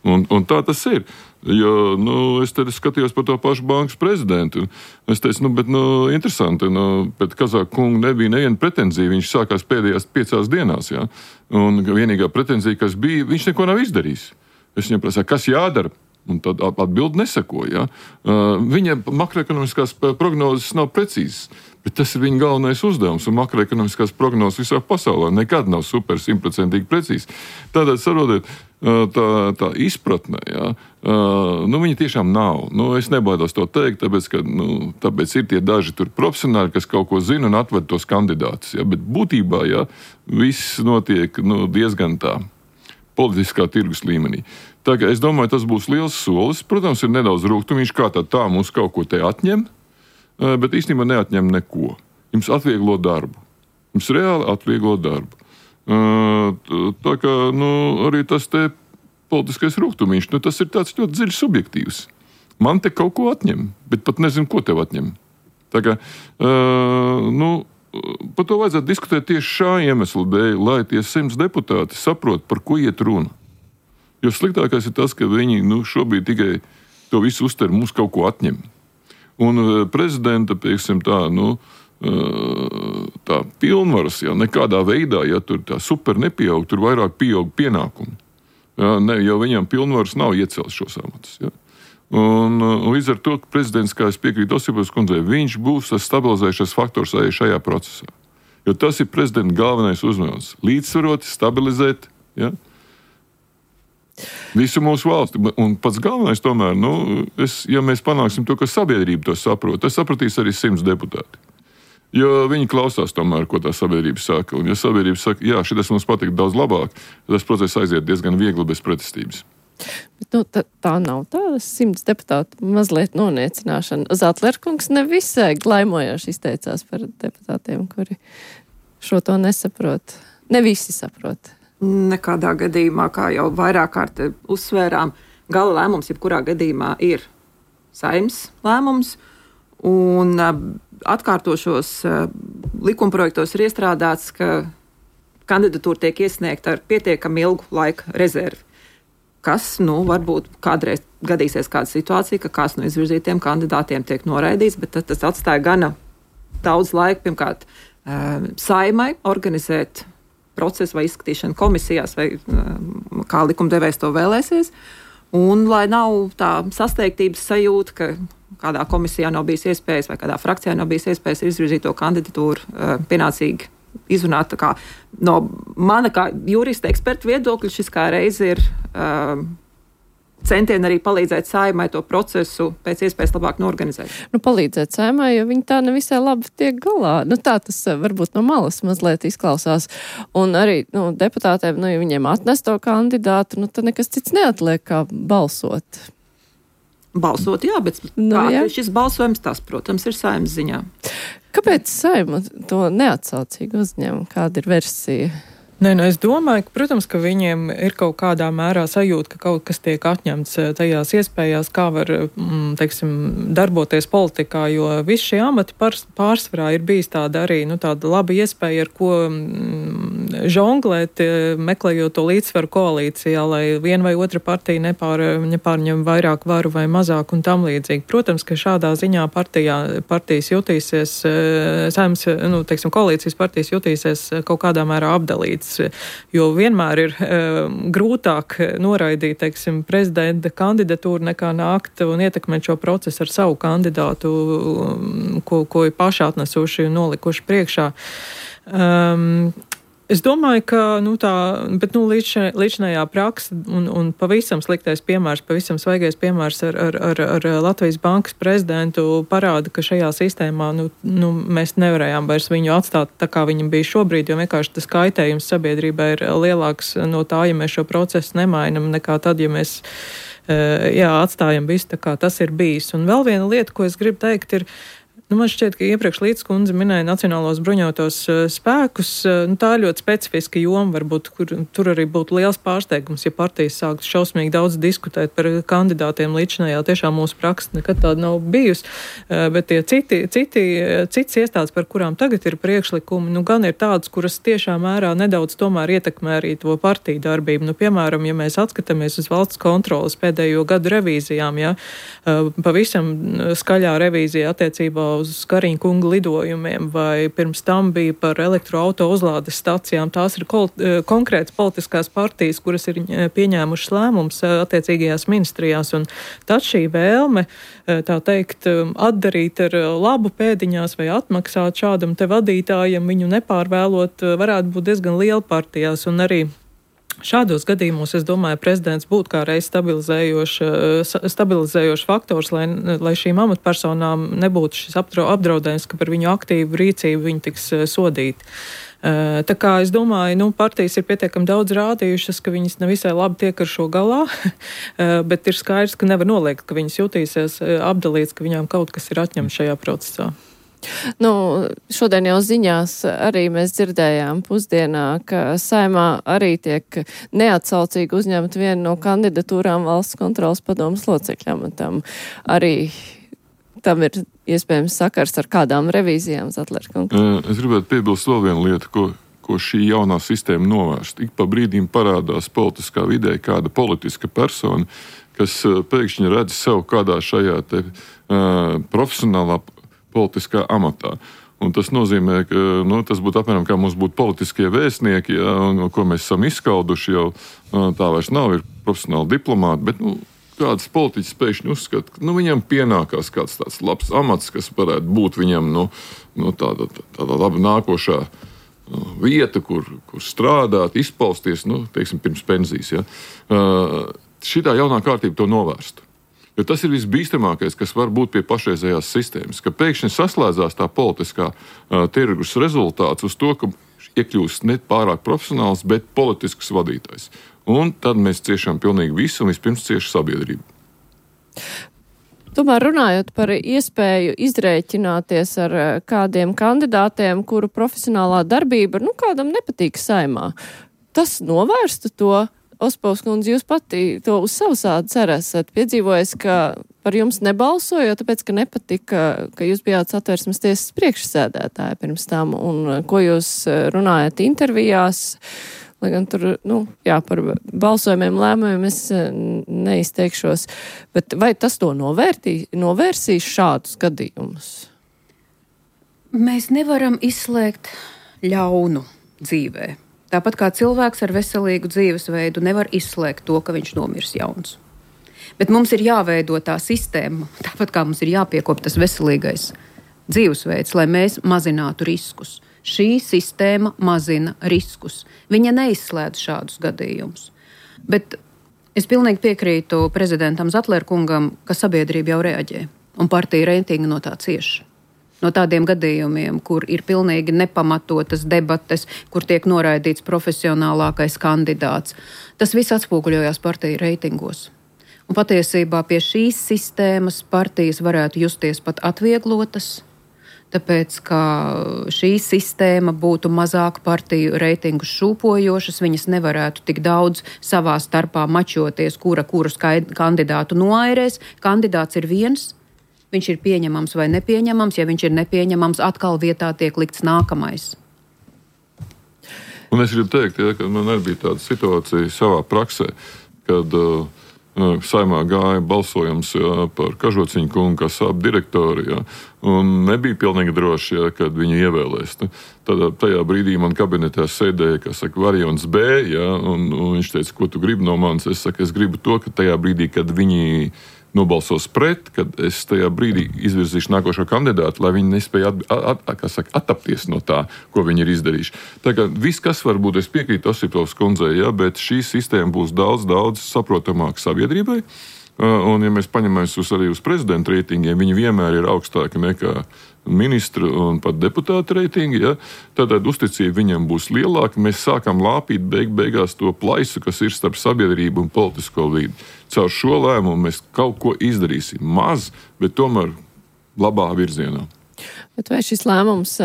Un tā tas ir. Jo, es te skatījos par to pašu bankas prezidentu. Es teicu, interesanti, pēc Kazaka kunga nebija neviena pretenzija. Viņš sākās pēdējās 5 dienās, ja? Un vienīgā pretenzija, kas bija, viņš neko nav izdarījis. Es viņam prasīju, kas jādara? Un tad atbildi nesakoja. Ja? Viņa makroekonomiskās prognozes nav precīzas, bet tas ir viņa galvenais uzdevums. Un makroekonomiskās prognozes visā pasaulē nekad nav 100% precīzas. Tātad, saprotiet, tā izpratne, ja? Viņa tiešām nav. Es nebaidos to teikt, tāpēc ir tie daži tur profesionāļi, kas kaut ko zina un atved tos kandidātus. Ja? Bet būtībā, ja, viss notiek diezgan tā politiskā tirgus līmenī. Tā kā es domāju, tas būs liels solis. Protams, ir nedaudz rūgtumīši, kā tā mums kaut ko te atņem, bet īstenībā neatņem neko. Jums atvieglo darbu. Jums reāli atvieglo darbu. Tā kā arī tas te politiskais rūgtumīši, tas ir tāds ļoti dziļs subjektīvs. Man te kaut ko atņem, bet pat nezinu, ko tev atņem. Tā kā, par to vajadzētu diskutēt tieši šā iemesla dēļ, lai tie 100 deputāti saprot, par ko iet runa. Jo sliktākais ir tas, ka viņi šobrīd tikai to visu uztver, mums kaut ko atņem. Un prezidenta, pieksim tā, tā pilnvaras, ja nekādā veidā, ja tur tā super nepieaug, tur vairāk pieaug pienākumi. Ja, jo viņam pilnvaras nav iecelt šos amatus. Ja. Un līdz ar to, ka prezidents, kā es piekrītu Osipovas kundzei, viņš būs tas stabilizējušais faktors arī šajā procesā. Jo tas ir prezidenta galvenais uzdevums - līdzsvarot, stabilizēt, ja? Visu mūsu valsti. Un pats galvenais tomēr, ja mēs panāksim to, ka sabiedrība to saprot, tas sapratīs arī 100 deputāti. Jo viņi klausās tomēr, ko tā sabiedrība saka. Un ja sabiedrība saka, jā, šitas mums patīk daudz labāk, tad tas process aiziet diezgan viegli bez pretestības. Bet, tā nav tāda 100 deputātu mazliet noniecināšana. Zatlerkungs nevisai glaimojoši izteicās par deputātiem, kuri šo to nesaprot. Ne visi saprot. Nekādā gadījumā, kā jau vairāk kārt uzsvērām, gala lēmums jebkurā gadījumā ir Saeimas lēmums. Un atkārtošos likumprojektos ir iestrādāts, ka kandidatūra tiek iesniegta ar pietiekami ilgu laika rezervi. Kas, varbūt kādreiz gadīsies kāda situācija, ka kāds no izvirzītiem kandidātiem tiek noraidīts, bet tas atstāja gana daudz laika, pirmkārt, Saeimai organizēt procesu vai izskatīšanu komisijās, vai kā likumdevējs to vēlēsies. Un lai nav tā sasteigtības sajūta, ka kādā komisijā nav bijis iespējas vai kādā frakcijā nav bijis iespējas izvirzīt to kandidatūru pienācīgi izrunāt. No mana kā jurista eksperta viedokļa šis kā reizi ir centieni arī palīdzēt Saeimai to procesu pēc iespējas labāk norganizēt. Palīdzēt Saeimai, jo viņi tā nevisai labi tiek galā. Tā tas varbūt no malas mazliet izklausās. Un arī deputātiem, ja viņiem atnes to kandidātu, tad nekas cits neatliek kā balsot. Balsot, jā, bet šis balsojums, tas, protams, ir Saeimas ziņā. Kāpēc Saeima to neatsaucīgi uzņem? Kāda ir versija? Es domāju, ka, protams, ka viņiem ir kaut kādā mērā sajūta, ka kaut kas tiek atņemts tajās iespējās, kā var, darboties politikā, jo visi šie amati pārsvarā ir bijis tāda arī, tāda laba iespēja, ar ko žonglēt, meklējot to līdzsvaru koalīcijā, lai viena vai otra partija nepārņem vairāk varu vai mazāk un tam līdzīgi. Protams, ka šādā ziņā partijas jutīsies, Saeimas, koalīcijas partijas jutīsies kaut kādā mērā apdalīts. Jo vienmēr ir grūtāk noraidīt, prezidenta kandidatūru nekā nākt un ietekmēt šo procesu ar savu kandidātu, ko ir paši atnesuši un nolikuši priekšā. Es domāju, ka līdzinājā praksa un pavisam sliktais piemērs, pavisam svaigais piemērs ar Latvijas bankas prezidentu parāda, ka šajā sistēmā mēs nevarējām vairs viņu atstāt tā, kā viņam bija šobrīd, jo vienkārši tas kaitējums sabiedrībai ir lielāks no tā, ja mēs šo procesu nemainam, nekā tad, ja mēs atstājam visu tā, kā tas ir bijis. Un vēl viena lieta, ko es gribu teikt, ir man šķiet, ka iepriekš Līdz kundze minēja Nacionālos bruņotos spēkus. Tā ir ļoti specifiska joma, varbūt, kur tur arī būtu liels pārsteigums, ja partijas sāktu šausmīgi daudz diskutēt par kandidātiem līdzinājā. Tiešām mūsu praksa nekad tāda nav bijusi, bet tie cits iestādes, par kurām tagad ir priekšlikumi, gan ir tādas, kuras tiešām mērā nedaudz tomēr ietekmē arī to partiju darbību. Piemēram, ja mēs atskatāmies uz valsts kontrolas pēdējo gadu revīzijām, pavisam skaļā revīzija attiecībā uz Kariņa kunga lidojumiem, vai pirms tam bija par elektroauto uzlādes stacijām. Tās ir konkrētas politiskās partijas, kuras ir pieņēmušas lēmums attiecīgajās ministrijās. Un tad šī vēlme, tā teikt, atdarīt ar labu pēdiņās vai atmaksāt šādam te vadītājam, viņu nepārvēlot, varētu būt diezgan liela partijās. Un arī šādos gadījumos, es domāju, prezidents būtu kā reiz stabilizējošs faktors, lai šīm amatpersonām nebūtu šis apdraudējums, ka par viņu aktīvu rīcību viņi tiks sodīti. Tā kā es domāju, partijas ir pietiekami daudz rādījušas, ka viņas nevisai labi tiek ar šo galā, bet ir skaidrs, ka nevar noliegt, ka viņas jutīsies apdalīts, ka viņām kaut kas ir atņemts šajā procesā. Šodien jau ziņās arī mēs dzirdējām pusdienā, ka Saeimā arī tiek neatsaucīgi uzņemt vienu no kandidatūrām valsts kontrolas padomas locekļam. Arī tam ir iespējams sakars ar kādām revīzijām, Zatlerkungs. Es gribētu piebilst vēl vienu lietu, ko šī jaunā sistēma novērst. Ik pa brīdim parādās politiskā vidē kāda politiska persona, kas pēkšņi redz sev kādā šajā profesionālā politiskā amatā. Un tas nozīmē, ka tas būtu apmēram kā mums būtu politiskie vēstnieki, ko mēs esam izskauduši jau. Tā vairs nav, ir profesionāli diplomāti, bet kāds politiķis pēkšņi uzskata, ka viņam pienākās kāds tāds labs amats, kas varētu būt viņam tāda laba nākošā vieta, kur strādāt, izpausties, teiksim, pirms pensijas. Ja? Šitā jaunā kārtība to novērstu. Jo tas ir visbīstamākais, kas var būt pie pašreizējās sistēmas, ka pēkšņi saslēdzās tā politiskā tirgus rezultāts uz to, ka iekļūst ne pārāk profesionāls, bet politisks vadītājs. Un tad mēs ciešam pilnīgi visu, un vispirms cieši sabiedrību. Tomēr runājot par iespēju izrēķināties ar kādiem kandidātiem, kuru profesionālā darbība kādam nepatīk Saeimā, tas novērstu to. Ospovs kundze, jūs pati to uz savu ādas arī esat piedzīvojis, ka par jums nebalsoja, tāpēc, ka nepatika, ka jūs bijāt Satversmes tiesas priekšsēdētāja pirms tam, un ko jūs runājat intervijās, lai gan tur, par balsojumiem, lēmumiem es neizteikšos, bet vai tas to novērsīs šādus gadījumus? Mēs nevaram izslēgt ļaunu dzīvē. Tāpat kā cilvēks ar veselīgu dzīvesveidu nevar izslēgt to, ka viņš nomirs jauns. Bet mums ir jāveido tā sistēma, tāpat kā mums ir jāpiekop tas veselīgais dzīvesveids, lai mēs mazinātu riskus. Šī sistēma mazina riskus. Viņa neizslēdz šādus gadījumus. Bet es pilnīgi piekrītu prezidentam Zatlerkungam, ka sabiedrība jau reaģē, un partija reitingi no tā cieš. No tādiem gadījumiem, kur ir pilnīgi nepamatotas debates, kur tiek noraidīts profesionālākais kandidāts. Tas viss atspoguļojās partiju reitingos. Un patiesībā pie šīs sistēmas partijas varētu justies pat atvieglotas, tāpēc, ka šī sistēma būtu mazāk partiju reitingu šūpojošas, viņas nevarētu tik daudz savā starpā mačoties, kurus kandidātu noairēs. Kandidāts ir viens. Viņš ir pieņemams vai nepieņemams, ja viņš ir nepieņemams, atkal vietā tiek likts nākamais. Un es gribu teikt, ka man arī bija tāda situācija savā praksē, kad Saeimā gāja balsojums par Kažociņu kungu kā sāp direktori, un nebija pilnīgi droši, kad viņu ievēlēs. Tad tajā brīdī man kabinetā sēdēja, variants B, un viņš teica, ko tu gribi no manis? Es saku, es gribu to, ka tajā brīdī, kad viņi nobalsos pret, kad es tajā brīdī izvirzīšu nākošo kandidātu, lai viņi nespēja attapties no tā, ko viņi ir izdarījuši. Tā kā viss, kas var būt, es piekrītu Osipovas kundzei, bet šī sistēma būs daudz saprotamāka sabiedrībai. Un, ja mēs paņemamies arī uz prezidenta reitingiem, viņi vienmēr ir augstāki nekā ministru un pat deputātu reitingi. Tātad uzticība viņam būs lielāka. Mēs sākam lāpīt beigās to plaisu, kas ir starp sabiedrību un politisko vidi. Caur šo lēmumu mēs kaut ko izdarīsim maz, bet tomēr labā virzienā. Bet vai šis lēmums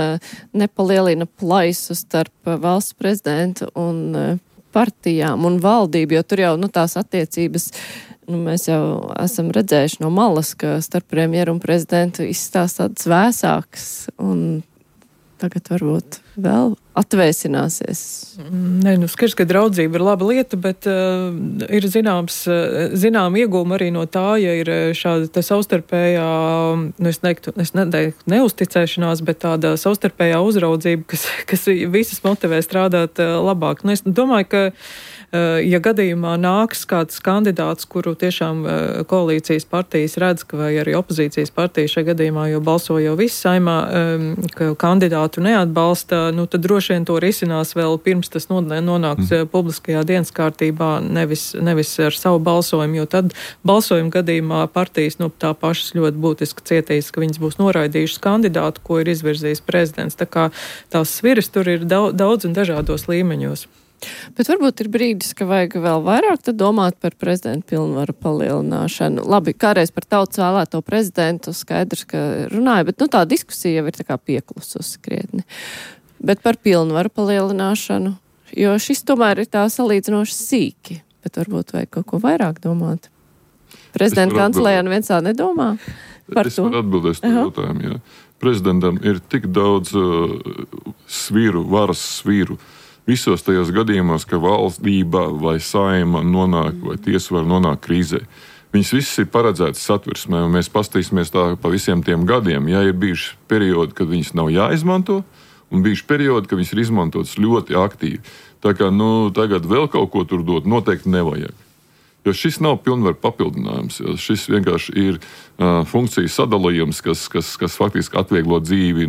nepalielina plaisu starp valsts prezidentu un partijām un valdību, jo tur jau tās attiecības mēs jau esam redzējuši no malas, ka starp premjeru un prezidentu izstāsta tādas vēsākas, un tagad varbūt vēl atvēsināsies. Nē, skaidrs, ka draudzība ir laba lieta, bet ir zinām iegūma arī no tā, ja ir šāda savstarpējā, es neteiktu neusticēšanās, bet tāda savstarpējā uzraudzība, kas visas motivē strādāt labāk. Es domāju, ka ja gadījumā nāks kāds kandidāts, kuru tiešām koalīcijas partijas redz, vai arī opozīcijas partija šajā gadījumā, jo balso jau viss Saeimā, ka kandidātu neatbalsta, tad droši vien to risinās vēl pirms tas nonāks publiskajā dienas kārtībā, nevis ar savu balsojumu, jo tad balsojuma gadījumā partijas tā pašas ļoti būtiski cietīs, ka viņas būs noraidījušas kandidātu, ko ir izvirzījis prezidents. Tā kā tās sviras tur ir daudz un dažādos līmeņos. Bet varbūt ir brīdis, ka vajag vēl vairāk domāt par prezidenta pilnvaru palielināšanu. Labi, kādreiz par tautas vēlēto prezidentu skaidrs, ka runāja, bet tā diskusija jau ir tā kā pieklususi krietni. Bet par pilnvaru palielināšanu, jo šis tomēr ir tā salīdzinoši sīki, bet varbūt vajag kaut ko vairāk domāt. Prezidenta kancelējā neviens tā nedomā par to. Es varu atbildēt to jautājumu, jā. Prezidentam ir tik daudz varas svīru, visos tajos gadījumos, ka valdība vai Saeima nonāk, vai tiesa var nonākt krīzē. Viņas visas ir paredzētas Satversmē, un mēs pastīsimies tā pa visiem tiem gadiem. Ja ir bijuši periodi, kad viņas nav jāizmanto, un bijuši periodi, kad viņas ir izmantotas ļoti aktīvi. Tā kā tagad vēl kaut ko tur dot noteikti nevajag. Jo šis nav pilnvaru papildinājums. Šis vienkārši ir funkciju sadalījums, kas faktiski atvieglo dzīvi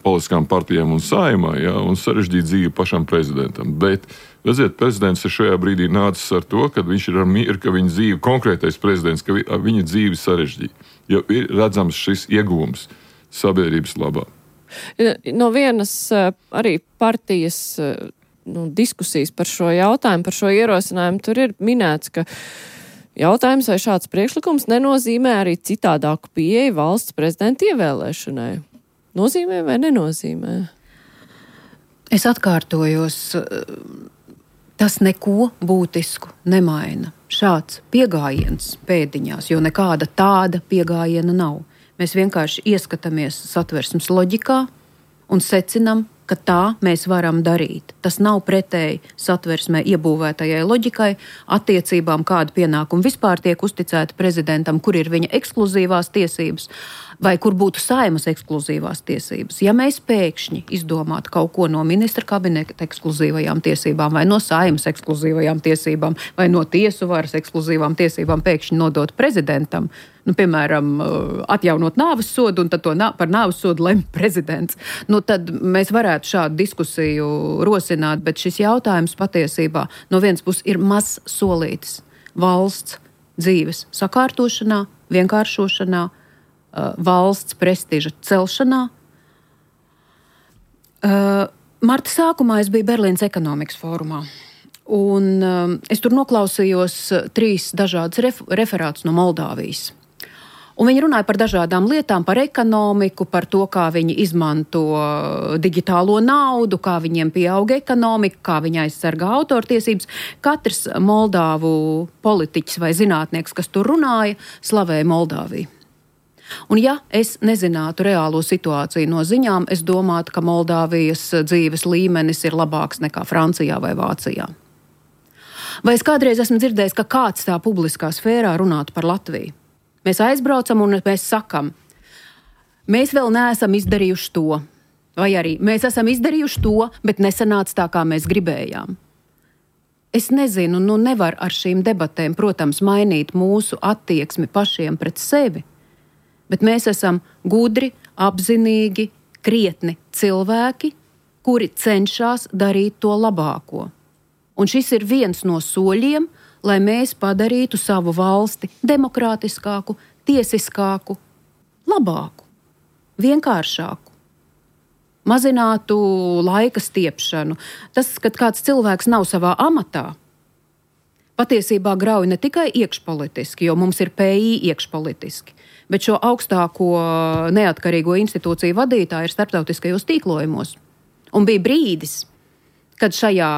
politiskām partijām un Saeimai, un sarežģīt dzīvi pašam prezidentam. Bet, redziet, prezidents ir šajā brīdī nācis ar to, ka viņš ir ar mieru, ka viņa dzīve, konkrētais prezidents, ka viņa dzīve sarežģīja. Jo ir redzams šis ieguvums sabiedrības labā. No vienas arī partijas diskusijas par šo jautājumu, par šo ierosinājumu, tur ir minēts, ka jautājums, vai šāds priekšlikums nenozīmē arī citādāku pieeju valsts prezidenta ievēlēšanai. Nozīmē vai nenozīmē? Es atkārtojos, tas neko būtisku nemaina. Šāds piegājiens pēdiņās, jo nekāda tāda piegājiena nav. Mēs vienkārši ieskatāmies Satversmes loģikā un secinām, ka tā mēs varam darīt. Tas nav pretēji Satversmē iebūvētajai loģikai, attiecībām, kāda pienākuma vispār tiek uzticēta prezidentam, kur ir viņa ekskluzīvās tiesības, vai kur būtu Saeimas ekskluzīvās tiesības. Ja mēs pēkšņi izdomātu kaut ko no ministra kabineta ekskluzīvajām tiesībām, vai no Saeimas ekskluzīvajām tiesībām, vai no tiesu varas ekskluzīvām tiesībām pēkšņi nodot prezidentam, piemēram, atjaunot nāves sodu, un tad to par nāves sodu lemj prezidents, tad mēs varētu šādu diskusiju rosināt, bet šis jautājums patiesībā no vienas puses ir mazs solītis valsts dzīves sakārtošanā, vienkāršošanā, valsts prestiža celšanā. Marta sākumā es biju Berlīnas ekonomikas fórumā, un es tur noklausījos 3 dažādas referātus no Moldāvijas. Un viņi runāja par dažādām lietām, par ekonomiku, par to, kā viņi izmanto digitālo naudu, kā viņiem pieauga ekonomika, kā viņi aizsargā autortiesības. Katrs Moldāvu politiķis vai zinātnieks, kas tur runāja, slavēja Moldāviju. Un ja es nezinātu reālo situāciju no ziņām, es domātu, ka Moldāvijas dzīves līmenis ir labāks nekā Francijā vai Vācijā. Vai es kādreiz esmu dzirdējis, ka kāds tā publiskā sfērā runātu par Latviju? Mēs aizbraucam un mēs sakam, mēs vēl neesam izdarījuši to, vai arī mēs esam izdarījuši to, bet nesanāca tā, kā mēs gribējām. Es nezinu, nevar ar šīm debatēm, protams, mainīt mūsu attieksmi pašiem pret sevi, bet mēs esam gudri, apzinīgi, krietni cilvēki, kuri cenšas darīt to labāko. Un šis ir viens no soļiem, lai mēs padarītu savu valsti demokrātiskāku, tiesiskāku, labāku, vienkāršāku, mazinātu laika stiepšanu. Tas, kad kāds cilvēks nav savā amatā, patiesībā grauj ne tikai iekšpolitiski, jo mums ir PI iekšpolitiski, bet šo augstāko neatkarīgo institūciju vadītāji ir starptautiskajos tīklojumos. Un bija brīdis, kad šajā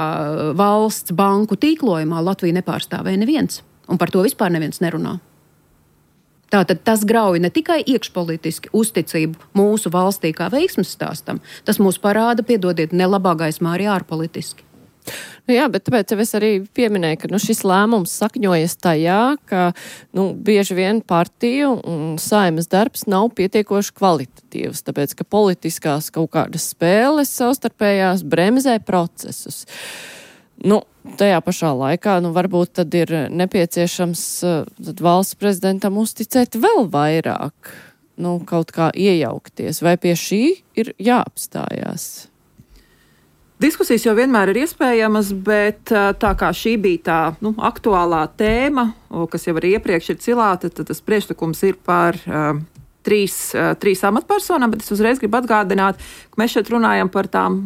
valsts banku tīklojumā Latviju nepārstāvēja neviens, un par to vispār neviens nerunā. Tātad tas grauj ne tikai iekšpolitiski uzticību mūsu valstī kā veiksmes stāstam, tas mūs parāda, piedodiet, nelabā gaismā arī ārpolitiski. Jā, bet tāpēc es arī pieminēju, ka šis lēmums sakņojas tajā, ka bieži vien partiju un Saeimas darbs nav pietiekoši kvalitatīvs, tāpēc, ka politiskās kaut kādas spēles savstarpējās bremzē procesus. Tajā pašā laikā, varbūt tad ir nepieciešams tad valsts prezidentam uzticēt vēl vairāk, kaut kā iejaukties, vai pie šī ir jāapstājās? Diskusijas jau vienmēr ir iespējamas, bet tā kā šī bija tā aktuālā tēma, kas jau arī iepriekš ir cilāta, tad tas priekšlikums ir par trīs amatpersonām, bet es uzreiz gribu atgādināt, ka mēs šeit runājam par tām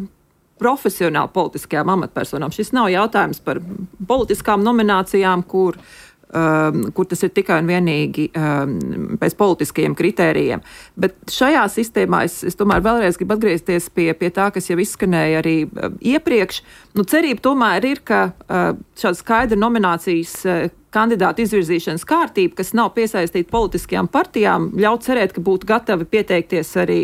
profesionāli politiskajām amatpersonām. Šis nav jautājums par politiskām nominācijām, kur tas ir tikai un vienīgi pēc politiskajiem kritērijiem. Bet šajā sistēmā es tomēr vēlreiz gribu atgriezties pie tā, kas jau izskanēja arī iepriekš. Cerība tomēr ir, ka šāda skaidra nominācijas kandidātu izvirzīšanas kārtība, kas nav piesaistīta politiskajām partijām, ļauj cerēt, ka būtu gatavi pieteikties arī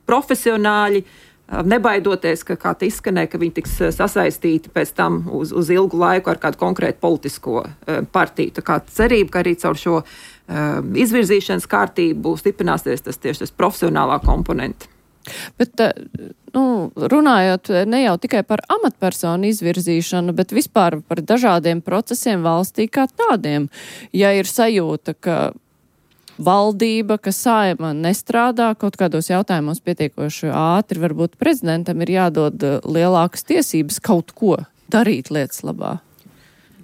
profesionāļi, nebaidoties, ka kā te izskanēja, ka viņi tiks sasaistīti pēc tam uz ilgu laiku ar kādu konkrētu politisko partiju. Tā kā cerība, ka arī caur šo izvirzīšanas kārtību stiprināsies tas profesionālā komponenta. Bet runājot ne jau tikai par amatpersonu izvirzīšanu, bet vispār par dažādiem procesiem valstī kā tādiem. Ja ir sajūta, ka valdība, ka Saeima nestrādā kaut kādos jautājumos pietiekoši ātri, varbūt prezidentam ir jādod lielākas tiesības kaut ko darīt lietas labā.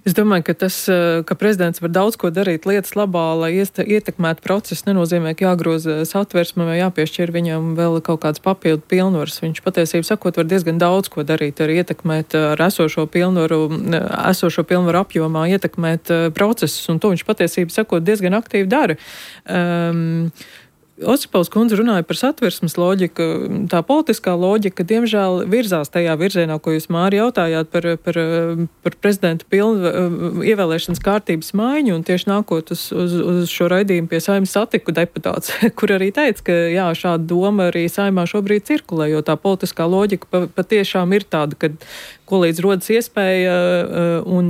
Es domāju, ka tas, ka prezidents var daudz ko darīt lietas labā, lai ietekmētu procesu, nenozīmē, ka jāgroza satversme vai jāpiešķir viņam vēl kaut kāds papildu pilnvaras. Viņš patiesībā sakot var diezgan daudz ko darīt, arī ietekmēt ar esošo pilnvaru apjomā, ietekmēt procesus, un to viņš patiesībā sakot diezgan aktīvi dara. Osipovs kundze runāja par satversmes loģiku. Tā politiskā loģika, diemžēl, virzās tajā virzienā, ko jūs, Māri, jautājāt par prezidenta ievēlēšanas kārtības maiņu, un tieši nākot uz šo raidījumu pie Saeimas satiku deputāts, kur arī teica, ka jā, šāda doma arī Saeimā šobrīd cirkulē, jo tā politiskā loģika patiešām ir tāda, ka ko līdz rodas iespēja un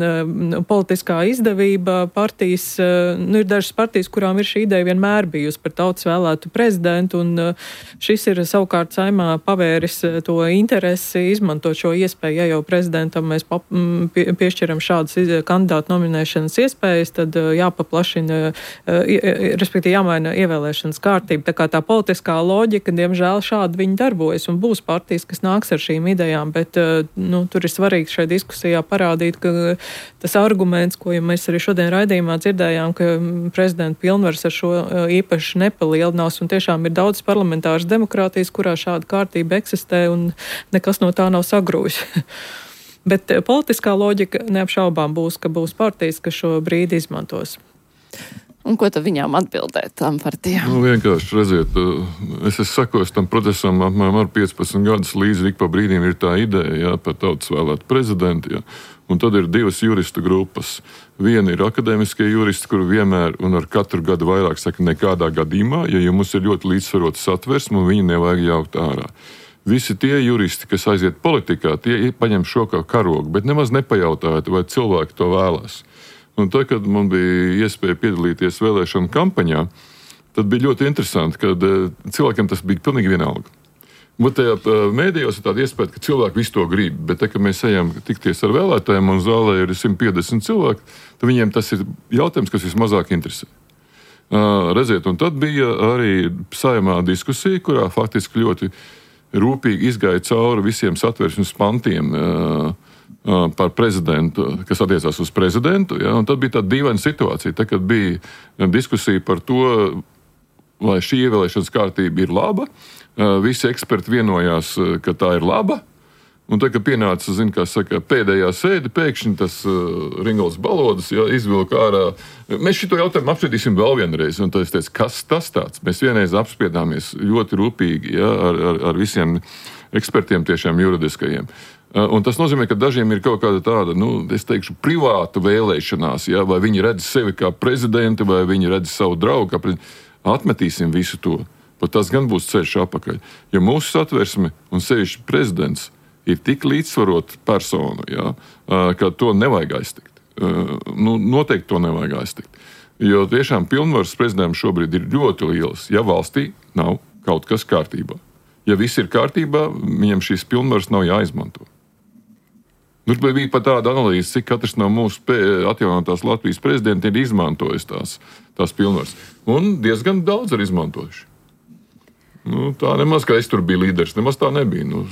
politiskā izdevība partijas, ir dažas partijas, kurām ir šī ideja vienmēr bijusi par tautas vēlētu prezidentu, un šis ir savukārt Saeimā pavēris to interesi, izmantot šo iespēju, ja jau prezidentam mēs piešķiram šādas kandidātu nominēšanas iespējas, tad jāpaplašina, respektīvi jāmaina ievēlēšanas kārtība. Tā kā tā politiskā loģika, diemžēl, šādi viņi darbojas, un būs partijas, kas nāks ar šīm idejām, bet, tur ir svarīgi šai diskusijā parādīt, ka tas arguments, ko mēs arī šodien raidījumā dzirdējām, ka prezidenta pilnvaras ar šo īpaši nepalielinās, un tiešām ir daudz parlamentāras demokrātijas, kurā šāda kārtība eksistē, un nekas no tā nav sagrūjis. Bet politiskā loģika neapšaubām būs, ka būs partijas, kas šo brīdi izmantos. Un ko tad viņām atbildēt tām partijām? Vienkārši redziet, es sakoju tam procesam apmēram ar 15 gadus līdzi, ik pa brīdiem ir tā ideja, par tautas vēlētu prezidentu, un tad ir divas juristu grupas. Viena ir akadēmiskie juristi, kuri vienmēr un ar katru gadu vairāk saka nekādā gadījumā, ja mums ir ļoti līdzsvarota satversme, un viņu nevajag jaukt ārā. Visi tie juristi, kas aiziet politikā, tie paņem šo kā karogu, bet nemaz nepajautājot, vai cilvēki to vēlās. Un tad, kad man bija iespēja piedalīties vēlēšanu kampaņā, tad bija ļoti interesanti, ka cilvēkiem tas bija pilnīgi vienalga. Bet tajā mēdījos ir tāda iespēja, ka cilvēki visu to grib, bet tad, kad mēs ejam tikties ar vēlētājiem un zālē ir 150 cilvēki, tad viņiem tas ir jautājums, kas vismazāk interesē. Redziet, un tad bija arī Saeimā diskusija, kurā faktiski ļoti rūpīgi izgāja cauri visiem satversmes pantiem, par prezidentu, kas attiecās uz prezidentu, un tad bija tāda dīvaina situācija, tad, kad bija diskusija par to, vai šī ievēlēšanas kārtība ir laba, visi eksperti vienojās, ka tā ir laba, un tad, kad pienāca, pēdējā sēde, pēkšņi tas Ringolds Balodas izvilka ārā, mēs šito jautājumu apspriedīsim vēl vienreiz, un tad es teicu, kas tas tāds? Mēs vienreiz apspriedāmies ļoti rūpīgi, ar visiem ekspertiem tiešām juridiskajiem. Un tas nozīmē, ka dažiem ir kaut kāda tāda, es teikšu, privāta vēlēšanās, vai viņi redz sevi kā prezidenti, vai viņi redz savu draugu kā prezidenti. Atmetīsim visu to. Pat tas gan būs ceļš apakaļ. Ja mūsu satversme un sevišķi prezidents ir tik līdzsvarota persona, ka to nevajag aiztikt. Noteikti to nevajag aiztikt. Jo tiešām pilnvaras prezidentam šobrīd ir ļoti lielas, ja valstī nav kaut kas kārtībā. Ja viss ir kārtībā, viņam šīs pilnvaras nav jāizmanto. Tur bija pat tāda analīze, cik katrs no mūsu atjaunotās Latvijas prezidenta ir izmantojis tās pilnvaras. Un diezgan daudz ir izmantojuši. Tā nemaz, ka es tur biju līderis, nemaz tā nebija.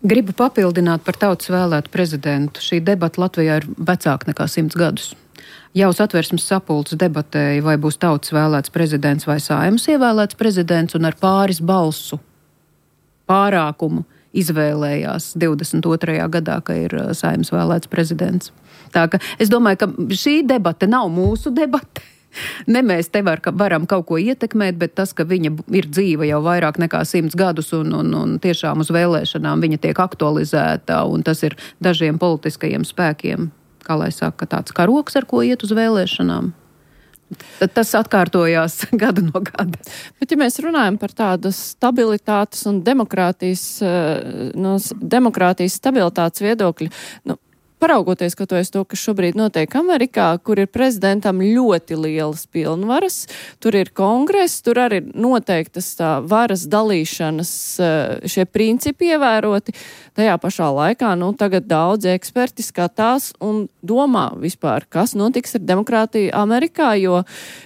Gribu papildināt par tautas vēlētu prezidentu. Šī debata Latvijā ir vecāka nekā 100 gadus. Jau Satversmes sapulce debatēja, vai būs tautas vēlēts prezidents vai Saeimas ievēlēts prezidents, un ar pāris balsu pārākumu izvēlējās 22. gadā, ka ir Saeimas vēlēts prezidents. Tā ka es domāju, ka šī debate nav mūsu debate. Ne mēs te varam kaut ko ietekmēt, bet tas, ka viņa ir dzīva jau vairāk nekā 100 gadus un tiešām uz vēlēšanām viņa tiek aktualizēta, un tas ir dažiem politiskajiem spēkiem, kā lai saka, tāds karoks, ar ko iet uz vēlēšanām. Tad tas atkārtojās gadu no gada. Bet ja mēs runājam par tādas stabilitātes un demokrātijas stabilitātes viedokļu, paraugoties kaut to, kas šobrīd notiek Amerikā, kur ir prezidentam ļoti lielas pilnvaras, tur ir kongress, tur arī ir noteiktas tā varas dalīšanas šie principi ievēroti. Tajā pašā laikā, tagad daudzi eksperti skatās un domā vispār, kas notiks ar demokrātiju Amerikā, jo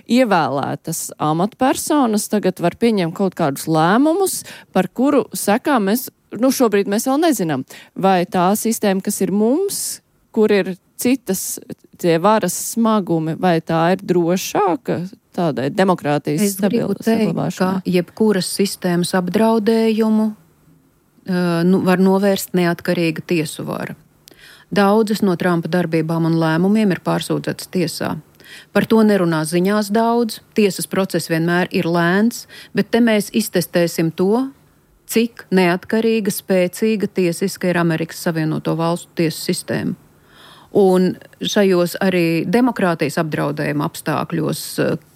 ievēlētas amatpersonas tagad var pieņemt kaut kādus lēmumus, par kuru sekām mēs, šobrīd mēs vēl nezinām, vai tā sistēma, kas ir mums, kur ir citas tie varas smagumi, vai tā ir drošāka tādai demokrātijas saglabāšanai? Ka jebkuras sistēmas apdraudējumu var novērst neatkarīga tiesu vara. Daudzas no Trumpa darbībām un lēmumiem ir pārsūdzētas tiesā. Par to nerunā ziņās daudz, tiesas process vienmēr ir lēns, bet te mēs iztestēsim to, cik neatkarīga, spēcīga tiesiska ir Amerikas Savienoto Valstu tiesu sistēma. Un šajos arī demokrātijas apdraudējuma apstākļos,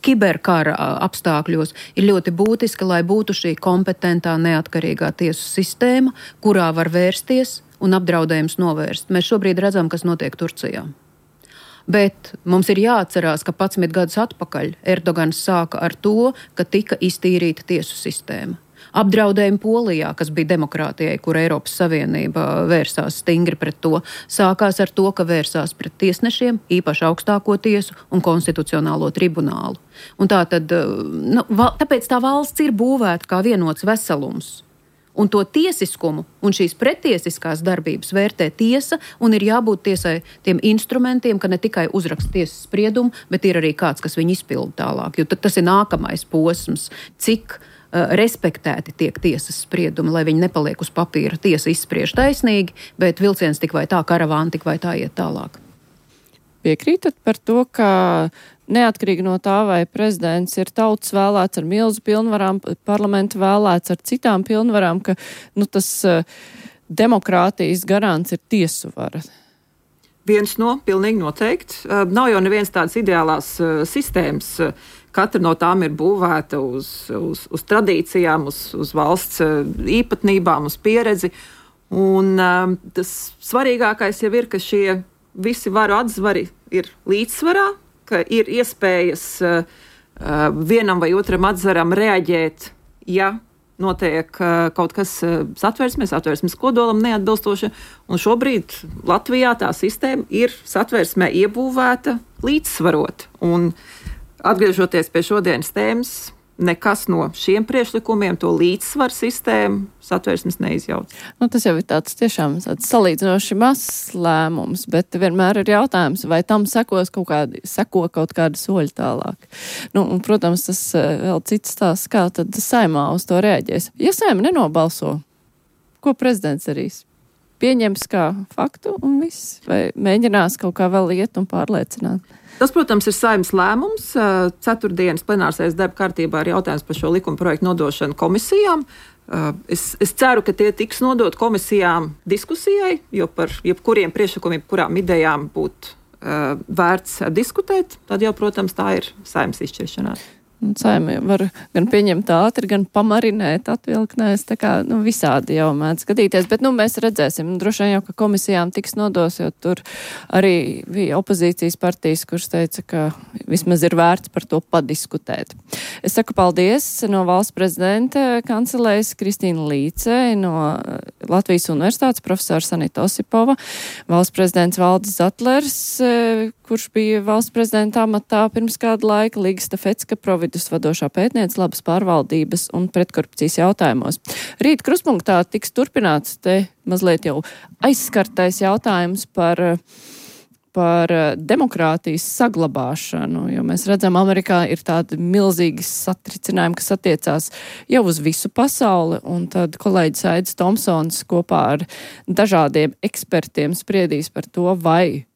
kiberkara apstākļos ir ļoti būtiski, lai būtu šī kompetentā, neatkarīgā tiesu sistēma, kurā var vērsties un apdraudējums novērst. Mēs šobrīd redzam, kas notiek Turcijā. Bet mums ir jāatcerās, ka 11 gadus atpakaļ Erdogans sāka ar to, ka tika iztīrīta tiesu sistēma. Apdraudējumi Polijā, kas bija demokrātijai, kur Eiropas Savienība vērsās stingri pret to, sākās ar to, ka vērsās pret tiesnešiem, īpaši augstāko tiesu un konstitucionālo tribunālu. Un tāpēc tā valsts ir būvēta kā vienots veselums. Un to tiesiskumu un šīs pretiesiskās darbības vērtē tiesa, un ir jābūt tiesai tiem instrumentiem, ka ne tikai uzraksta tiesas spriedumu, bet ir arī kāds, kas viņu izpilda tālāk. Jo tas ir nākamais posms, cik respektēti tiek tiesas spriedumi, lai viņi nepaliek uz papīra. Tiesa izspriež taisnīgi, bet vilciens tik vai tā, karavāna tik vai tā iet tālāk. Piekrītat par to, ka neatkarīgi no tā, vai prezidents ir tautas vēlēts ar milzu pilnvarām, parlamenta vēlēts ar citām pilnvarām, ka tas demokrātijas garants ir tiesu vara? Viens no, pilnīgi noteikti. Nav jau neviens tādas ideālās sistēmas. Katra no tām ir būvēta uz tradīcijām, uz valsts īpatnībām, uz pieredzi. Un tas svarīgākais jau ir, ka šie visi varu atzvari ir līdzsvarā, ka ir iespējas vienam vai otram atzvaram reaģēt, ja notiek kaut kas satversmes kodolam neatbilstoši. Un šobrīd Latvijā tā sistēma ir satversmē iebūvēta līdzsvarot. Un atgriežoties pie šodienas tēmas, nekas no šiem priekšlikumiem to līdzsvaru sistēmu satversmes neizjauc. Tas jau ir tāds tiešām salīdzinoši mazs lēmums, bet vienmēr ir jautājums, vai tam seko kaut kādi soļi tālāk. Un, protams, tas vēl cits stāsts, kā tad Saeimā uz to reaģēs. Ja Saeima nenobalso, ko prezidents darīs? Pieņems kā faktu un viss? Vai mēģinās kaut kā vēl iet un pārliecināt? Tas, protams, ir Saeimas lēmums. Ceturtdienas plenārsēdes darba kārtībā ir jautājums par šo likuma projektu nodošanu komisijām. Es ceru, ka tie tiks nodot komisijām diskusijai, jo par jebkuriem priekšlikumiem, kurām idejām būtu vērts diskutēt, tad jau, protams, tā ir Saeimas izšķiršanās. Saeima var gan pieņemt ātri, gan pamarinēt, atvilknēs, tā kā visādi jau mēdz skatīties, bet mēs redzēsim, droši vien jau, ka komisijām tiks nodos, jo tur arī bija opozīcijas partijas, kuras teica, ka vismaz ir vērts par to padiskutēt. Es saku paldies no valsts prezidenta kancelējas Kristīna Līce, no Latvijas Universitātes profesora Sanita Osipova, valsts prezidents Valdis Zatlers, kurš bija valsts prezidenta amatā pirms kāda laika, Līga Stafecka, Providus vadošā pētniece labas pārvaldības un pretkorupcijas jautājumos. Rīt kruspunktā tiks turpināts te mazliet jau aizskartais jautājums par demokrātijas saglabāšanu, jo mēs redzam, Amerikā ir tādi milzīgi satricinājumi, kas attiecās jau uz visu pasauli, un tad kolēģis Aidis Tomsons kopā ar dažādiem ekspertiem spriedīs par to, vai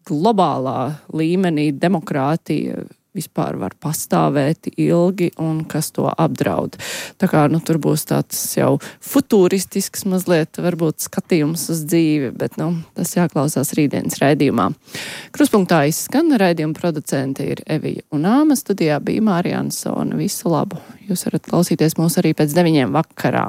globālā līmenī demokrātija vispār var pastāvēt ilgi un kas to apdraud. Tā kā tur būs tāds jau futuristisks mazliet varbūt skatījums uz dzīvi, bet tas jāklausās rītdienas raidījumā. Kruspunktā izskan, raidījuma producenti ir Evija un Āma, studijā bija Mārija Ansone. Visu labu! Jūs varat klausīties mūs arī pēc 9 vakarā.